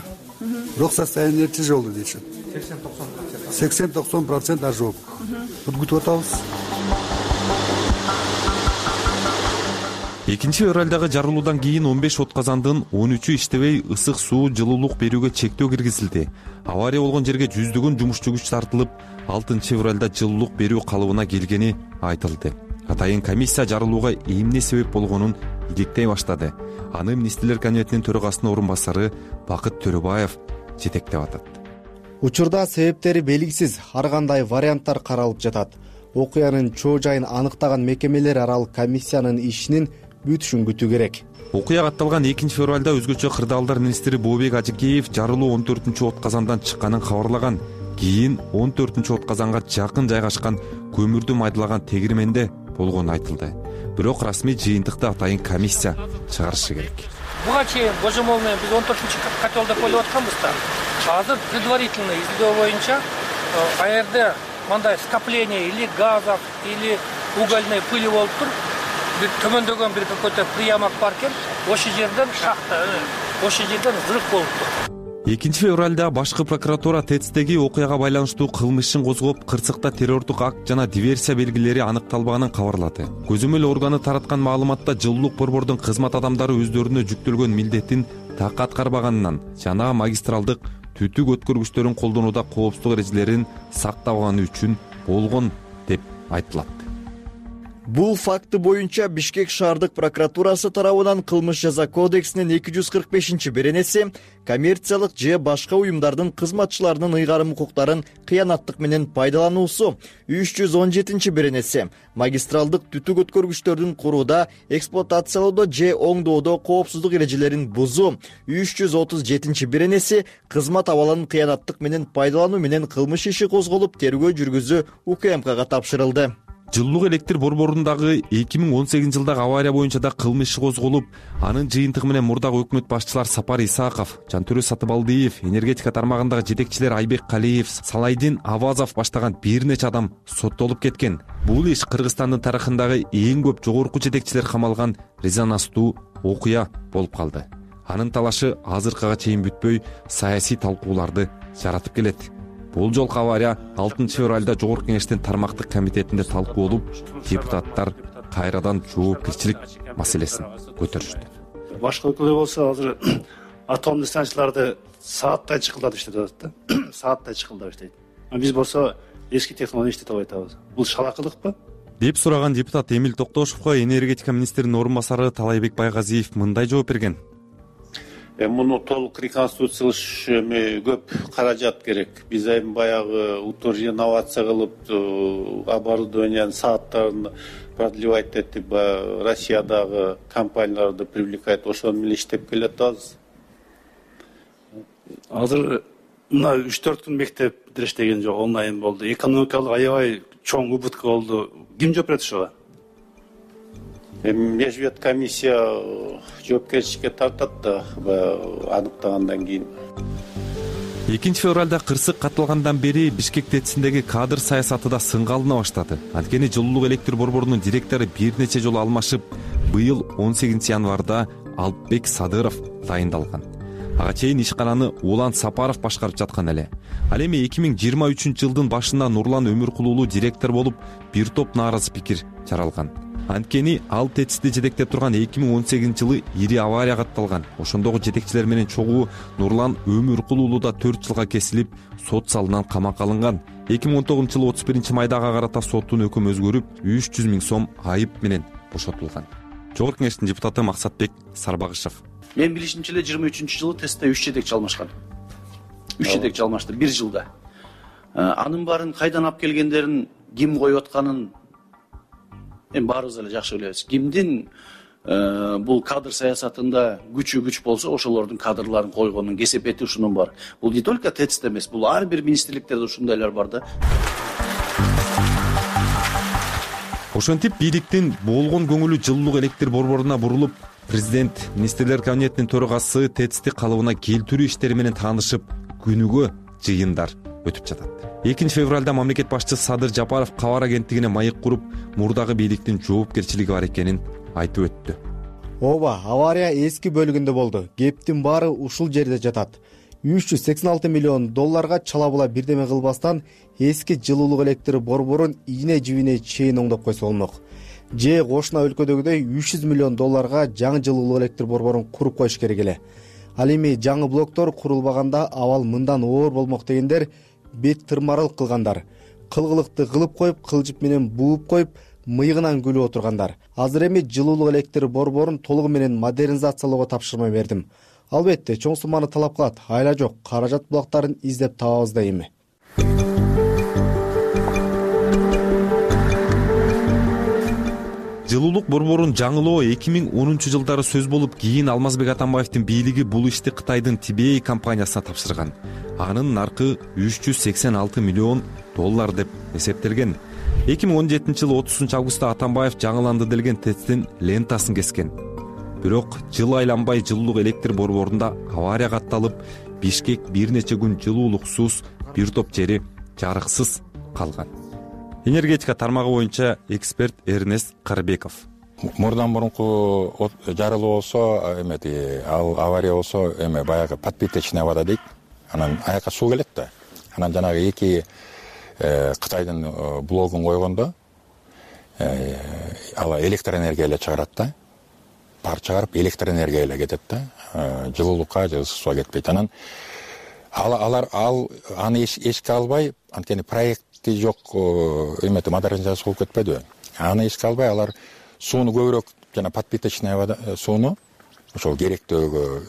Бирок состояние тяжелый дейт. сексен токсон процент ожог. Күтүп атабыз. экинчи февралдагы жарылуудан кийин он беш отказандын он үчү иштебей, ысык суу, жылуулук берүүгө чектөө киргизилди. Авария болгон жерге жүздөгөн жумушчу күч тартылып, алтынчы февралда жылуулук берүү калыбына келгени айтылды. Атайын комиссия жарылууга эмне себеп болгонун иликтей баштады. Аны Министрлер кабинетинин төрагасынын орун басары Бакыт Төрөбаев жетектеп атат. Учурда себептери белгисиз, ар кандай варианттар каралып жатат. Окуянын чоо жайын аныктаган мекемелер аралык комиссиянын ишинин бүтүшүн күтүү керек. Окуя катталган экинчи февралда өзгөчө кырдаалдар министри Бообек Ажыкеев жарылуу он төртүнчү от казандан чыкканын кабарлаган. Кийин он төртүнчү от казанга жакын жайгашкан көмүрдү майдалаган тегирменде болгону айтылды. Бирок расмий жыйынтыкты атайын комиссия чыгарышы керек. Буга чейин божомол менен биз он төртүнчү котелде коюп атканбыз да. Азыр предварительный изилдөө боюнча а жерде мындай скопление или газов, или угольной пыли болуп тур. Бир төмөндөгөн бир какой-то приямок бар экен. Ошол жерден шахта, ошол жерден взрыв болуп тур. экинчи февралда башкы прокуратура ТЭЦдеги окуяга байланыштуу кылмыш ишин козгоп, кырсыкта террордук акт жана диверсия белгилери аныкталбаганын кабарлады. Көзөмөл органы тараткан маалыматта жылуулук борбордун кызмат адамдары өздөрүнө жүктөлгөн милдеттин так аткарбаганынан жана магистралдык түтүк өткөргүчтөрүн колдонууда коопсуздук эрежелерин сактабаганы үчүн болгон деп айтылат. Бул факты боюнча Бишкек шаардык прокуратурасы тарабынан кылмыш жаза кодексинин эки жүз кырк бешинчи беренеси коммерциялык же башка уюмдардын кызматчыларынын ыйгарым укуктарын кыянаттык менен пайдалануусу, үч жүз он жетинчи беренеси магистралдык түтүк өткөргүчтөрдүн курууда, эксплуатациялоодо же оңдоодо коопсуздук эрежелерин бузуу, үч жүз отуз жетинчи беренеси кызмат абалын кыянаттык менен пайдалануу менен кылмыш иши козголуп, тергөө жүргүзүү УКМКга тапшырылды. Жылуулук электр борборундагы эки миң он сегизинчи жылдагы авария боюнча да кылмыш иши козголуп, анын жыйынтыгы менен мурдагы өкмөт башчылар Сапар Исаков, Жантөрө Сатыбалдиев, энергетика тармагындагы жетекчилер Айбек Калиев, Салайдин Авазов баштаган бир нече адам соттолуп кеткен. Бул иш Кыргызстандын тарыхындагы эң көп жогорку жетекчилер камалган резонанстуу окуя болуп калды. Анын талашы азыркыга чейин бүтпөй, саясий талкууларды жаратып келет. Бул жолку авария алтынчы февралда Жогорку кеңештин тармактык комитетинде талкуу болуп, депутаттар кайрадан жоопкерчилик маселесин көтөрүштү. Башка өлкөлөр болсо азыр атомдук станцияларды сааттай чыкылдатып иштетип атат да. Сааттай чыкылдап иштейт. А биз болсо эски технология иштетип атабыз. Бул шалакылыкпы? деп сураган депутат Эмил Токтошовго энергетика министринин орун басары Талайбек Байгазиев мындай жооп берген. Муну толук реконструкциялаш эми көп каражат керек. Биз эми баягы утур инновация кылып, оборудованиянын сааттарын продлевать этип, Россиядагы компанияларды привлекать, ошону менен иштеп келатабыз. Азыр мына үч төрт күн мектеп иштеген жок, онлайн болду. Экономикалык аябай чоң убытка болду. Ким жооп берет ошого? Межвет комиссия жоопкерчиликке тартат да, аныктагандан кийин. экинчи февралда кырсык катталгандан бери Бишкек ТЭЦиндеги кадр саясаты да сынга алына баштады. Анткени жылуулук электр борборунун директору бир нече жолу алмашып, быйыл он сегизинчи январда Алпбек Садыров дайындалган. Ага чейин ишкананы Улан Сапаров башкарып жаткан эле. Ал эми эки миң жыйырма үчүнчү жылдын башында Нурлан Өмүркулуулу директор болуп, бир топ нааразы пикир жаралган. Анткени ал ТЭЦти жетектеп турган эки миң он сегизинчи жылы ири авария катталган. Ошондогу жетекчилер менен чогуу Нурлан Өмүркул уулу да төрт жылга кесилип, сот залынан камакка алынган. эки миң он тогузунчу жылы отуз биринчи майда ага карата соттун өкүмү өзгөрүп, үч жүз миң сом айып менен бошотулган. Жогорку Кеңештин депутаты Максатбек Сарбагышев: Мен билишимче эле жыйырма үчүнчү жылы тестте үч жетекчи алмашкан. үч жетекчи алмашты бир жылда. Анын баарын кайдан алып келгендерин, ким коюп атканын эми баарыбыз эле жакшы билебиз. Кимдин бул кадр саясатында күчү күч болсо, ошолордун кадрларын койгонун кесепети ушунун бар. Бул не только ТЭЦте эмес, бул ар бир министрликтерде ушундайлар бар да. Ошентип бийликтин болгон көңүлү жылуулук электр борборуна бурулуп, президент министрлер кабинетинин төрагасы ТЭЦти калыбына келтирүү иштери менен таанышып, күнүгө жыйындар өтүп жатат. экинчи февралда мамлекет башчысы Садыр Жапаров кабар агенттигине маек куруп, мурдагы бийликтин жоопкерчилиги бар экенин айтып өттү. Ооба, авария эски бөлүгүндө болду. Кептин баары ушул жерде жатат. үч жүз сексен алты миллион долларга чала була бирдеме кылбастан эски жылуулук электр борборун ийне жибине чейин оңдоп койсо болмок. Же кошуна өлкөдөгүдөй үч жүз миллион долларга жаңы жылуулук электр борборун куруп коюш керек эле. Ал эми жаңы блоктор курулбаганда абал мындан оор болмок дегендер бет тырмарыл кылгандар. Кылгылыкты кылып коюп, кылжып менен бууп коюп, мыйгынан күлүп отургандар. Азыр эми жылуулук электр борборун толугу менен модернизациялоого тапшырма бердим. Албетте, чоң сумманы талап кылат. Айла жок, каражат булактарын издеп табабыз да эми. Жылуулук борборун жаңылоо эки миң онунчу жылдары сөз болуп, кийин Алмазбек Атамбаевдин бийлиги бул ишти Кытайдын Тибей компаниясына тапшырган. Анын наркы үч жүз сексен алты миллион доллар деп эсептелген. эки миң он жетинчи жылы отузунчу августта Атамбаев жаңыланды делген ТЭЦтин лентасын кескен. Бирок жыл айланбай жылуулук электр борборунда авария катталып, Бишкек бир нече күн жылуулуксуз, бир топ жери жарыксыз калган. Энергетика тармагы боюнча эксперт Эрнест Карбеков: Мурдан мурунку жарылуу болсо, эмети ал авария болсо, эме баягы подпиточная вода дейт. Анан аякка суу келет да. Анан жанагы эки Кытайдын блогун койгондо ал электр энергия эле чыгарат да. Пар чыгарып электр энергия эле кетет да. Жылуулукка же ысык сууга кетпейт. Анан алар ал аны эске албай, анткени проекти жок эмети модернизация болуп кетпедиби? Аны эске албай алар сууну көбүрөөк жана подпиточная вода сууну ошол керектөөгө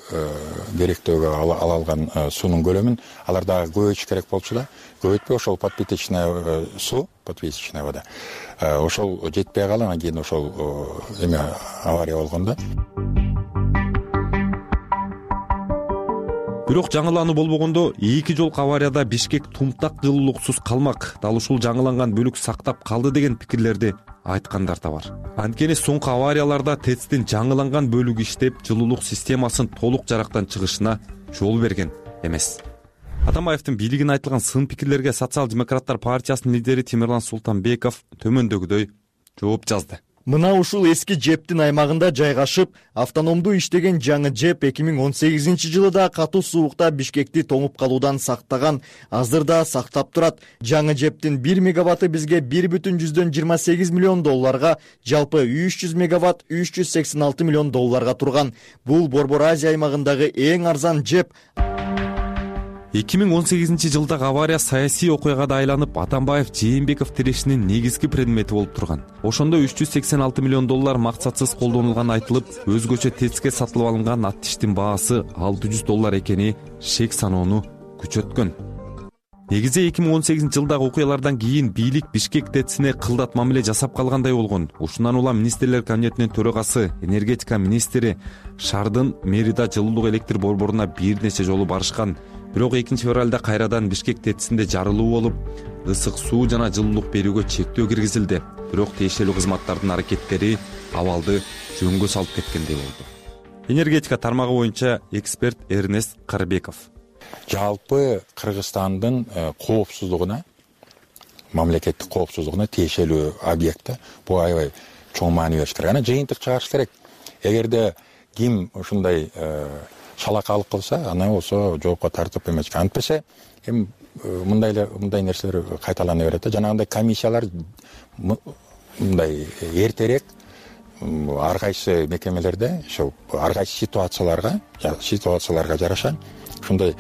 керектөөгө ала алган суунун көлөмүн алар дагы көбөйтүш керек болчу да. Көбөйтпөй ошол подпиточная суу, подпиточная вода ошол жетпей калып, анан кийин ошол эме авария болгон да. Бирок жаңылануу болбогондо эки жолку аварияда Бишкек тумтак жылуулуксуз калмак. Дал ушул жаңыланган бөлүк сактап калды деген пикирлерди айткандар да бар. Анткени соңку аварияларда ТЭЦтин жаңыланган бөлүгү иштеп, жылуулук системасын толук жарактан чыгышына жол берген эмес. Атамбаевдин бийлигине айтылган сын пикирлерге социал-демократтар партиясынын лидери Темирлан Султанбеков төмөндөгүдөй жооп жазды. Мына ушул эски ЖЭПтин аймагында жайгашып, автономдуу иштеген жаңы ЖЭП эки миң он сегизинчи жылы да катуу суукта Бишкекти тоңуп калуудан сактаган, азыр да сактап турат. Жаңы ЖЭПтин бир мегаватты бизге бир бүтүн жүздөн жыйырма сегиз миллион долларга, жалпы үч жүз мегаватт үч жүз сексен алты миллион долларга турган. Бул Борбор Азия аймагындагы эң арзан ЖЭП. эки миң он сегизинчи жылдагы авария саясий окуяга да айланып, Атамбаев Жээнбеков тирешинин негизги предмети болуп турган. Ошондо үч жүз сексен алты миллион доллар максатсыз колдонулганы айтылып, өзгөчө ТЭЦке сатылып алынган ат тиштин баасы алты жүз доллар экени шек саноону күчөткөн. Негизи эки миң он сегизинчи жылдагы окуялардан кийин бийлик Бишкек ТЭЦине кылдат мамиле жасап калгандай болгон. Ушундан улам министрлер кабинетинин төрагасы, энергетика министри шаардын мэрида жылуулук электр борборуна бир нече жолу барышкан. Бирок экинчи февралда кайрадан Бишкек ТЭЦинде жарылуу болуп, ысык суу жана жылуулук берүүгө чектөө киргизилди. Бирок тиешелүү кызматтардын аракеттери абалды жөнгө салып кеткендей болду. Энергетика тармагы боюнча эксперт Эрнест Карбеков: Жалпы Кыргызстандын коопсуздугуна, мамлекеттик коопсуздугуна тиешелүү объект. Бул аябай чоң маани бериш керек. Аны жыйынтык чыгарыш керек. Эгерде ким ушундай шалакалык кылса, ана болсо жоопко тартып эмечке. Антпесе эми мындай мындай нерселер кайталана берет да. Жанагындай комиссиялар мындай эртерээк ар кайсы мекемелерде ошол ар кайсы ситуацияларга ситуацияларга жараша ушундай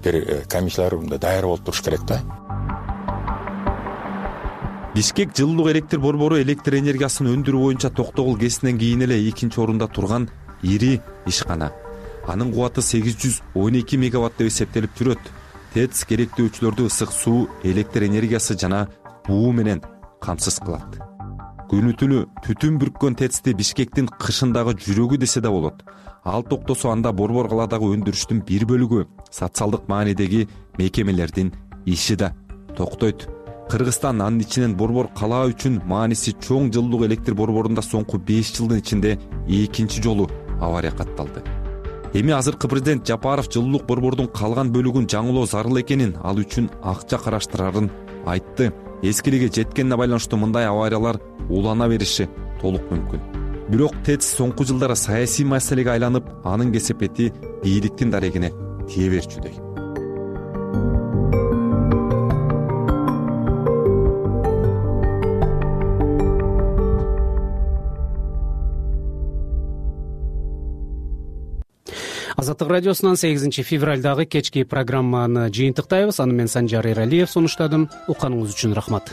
бир комиссиялар даяр болуп туруш керек да. Бишкек жылуулук электр борбору электр энергиясын өндүрүү боюнча Токтогул КЭСинен кийин эле экинчи орунда турган ири ишкана. Анын кубаты сегиз жүз он эки мегаватт деп эсептелип жүрөт. ТЭЦ керектөөчүлөрдү ысык суу, электр энергиясы жана буу менен камсыз кылат. Күнү түнү түтүн бүрккөн ТЭЦти Бишкектин кышындагы жүрөгү десе да болот. Ал токтосо анда борбор калаадагы өндүрүштүн бир бөлүгү, социалдык маанидеги мекемелердин иши да токтойт. Кыргызстан анын ичинен борбор кала үчүн мааниси чоң жылуулук электр борборунда соңку беш жылдын ичинде экинчи жолу авария катталды. Эми азыркы президент Жапаров жылуулук борбордун калган бөлүгүн жаңылоо зарыл экенин, ал үчүн акча караштырарын айтты. Эскилиге жеткенине байланыштуу мындай авариялар улана бериши толук мүмкүн. Бирок ТЭЦ соңку жылдары саясий маселеге айланып, анын кесепети бийликтин дарегине тие берчүдөй. Азаттык радиосунан сегизинчи февралдагы кечки программаны жыйынтыктайбыз. Аны мен Санжар Эралиев сунуштадым. Укканыңыз үчүн рахмат.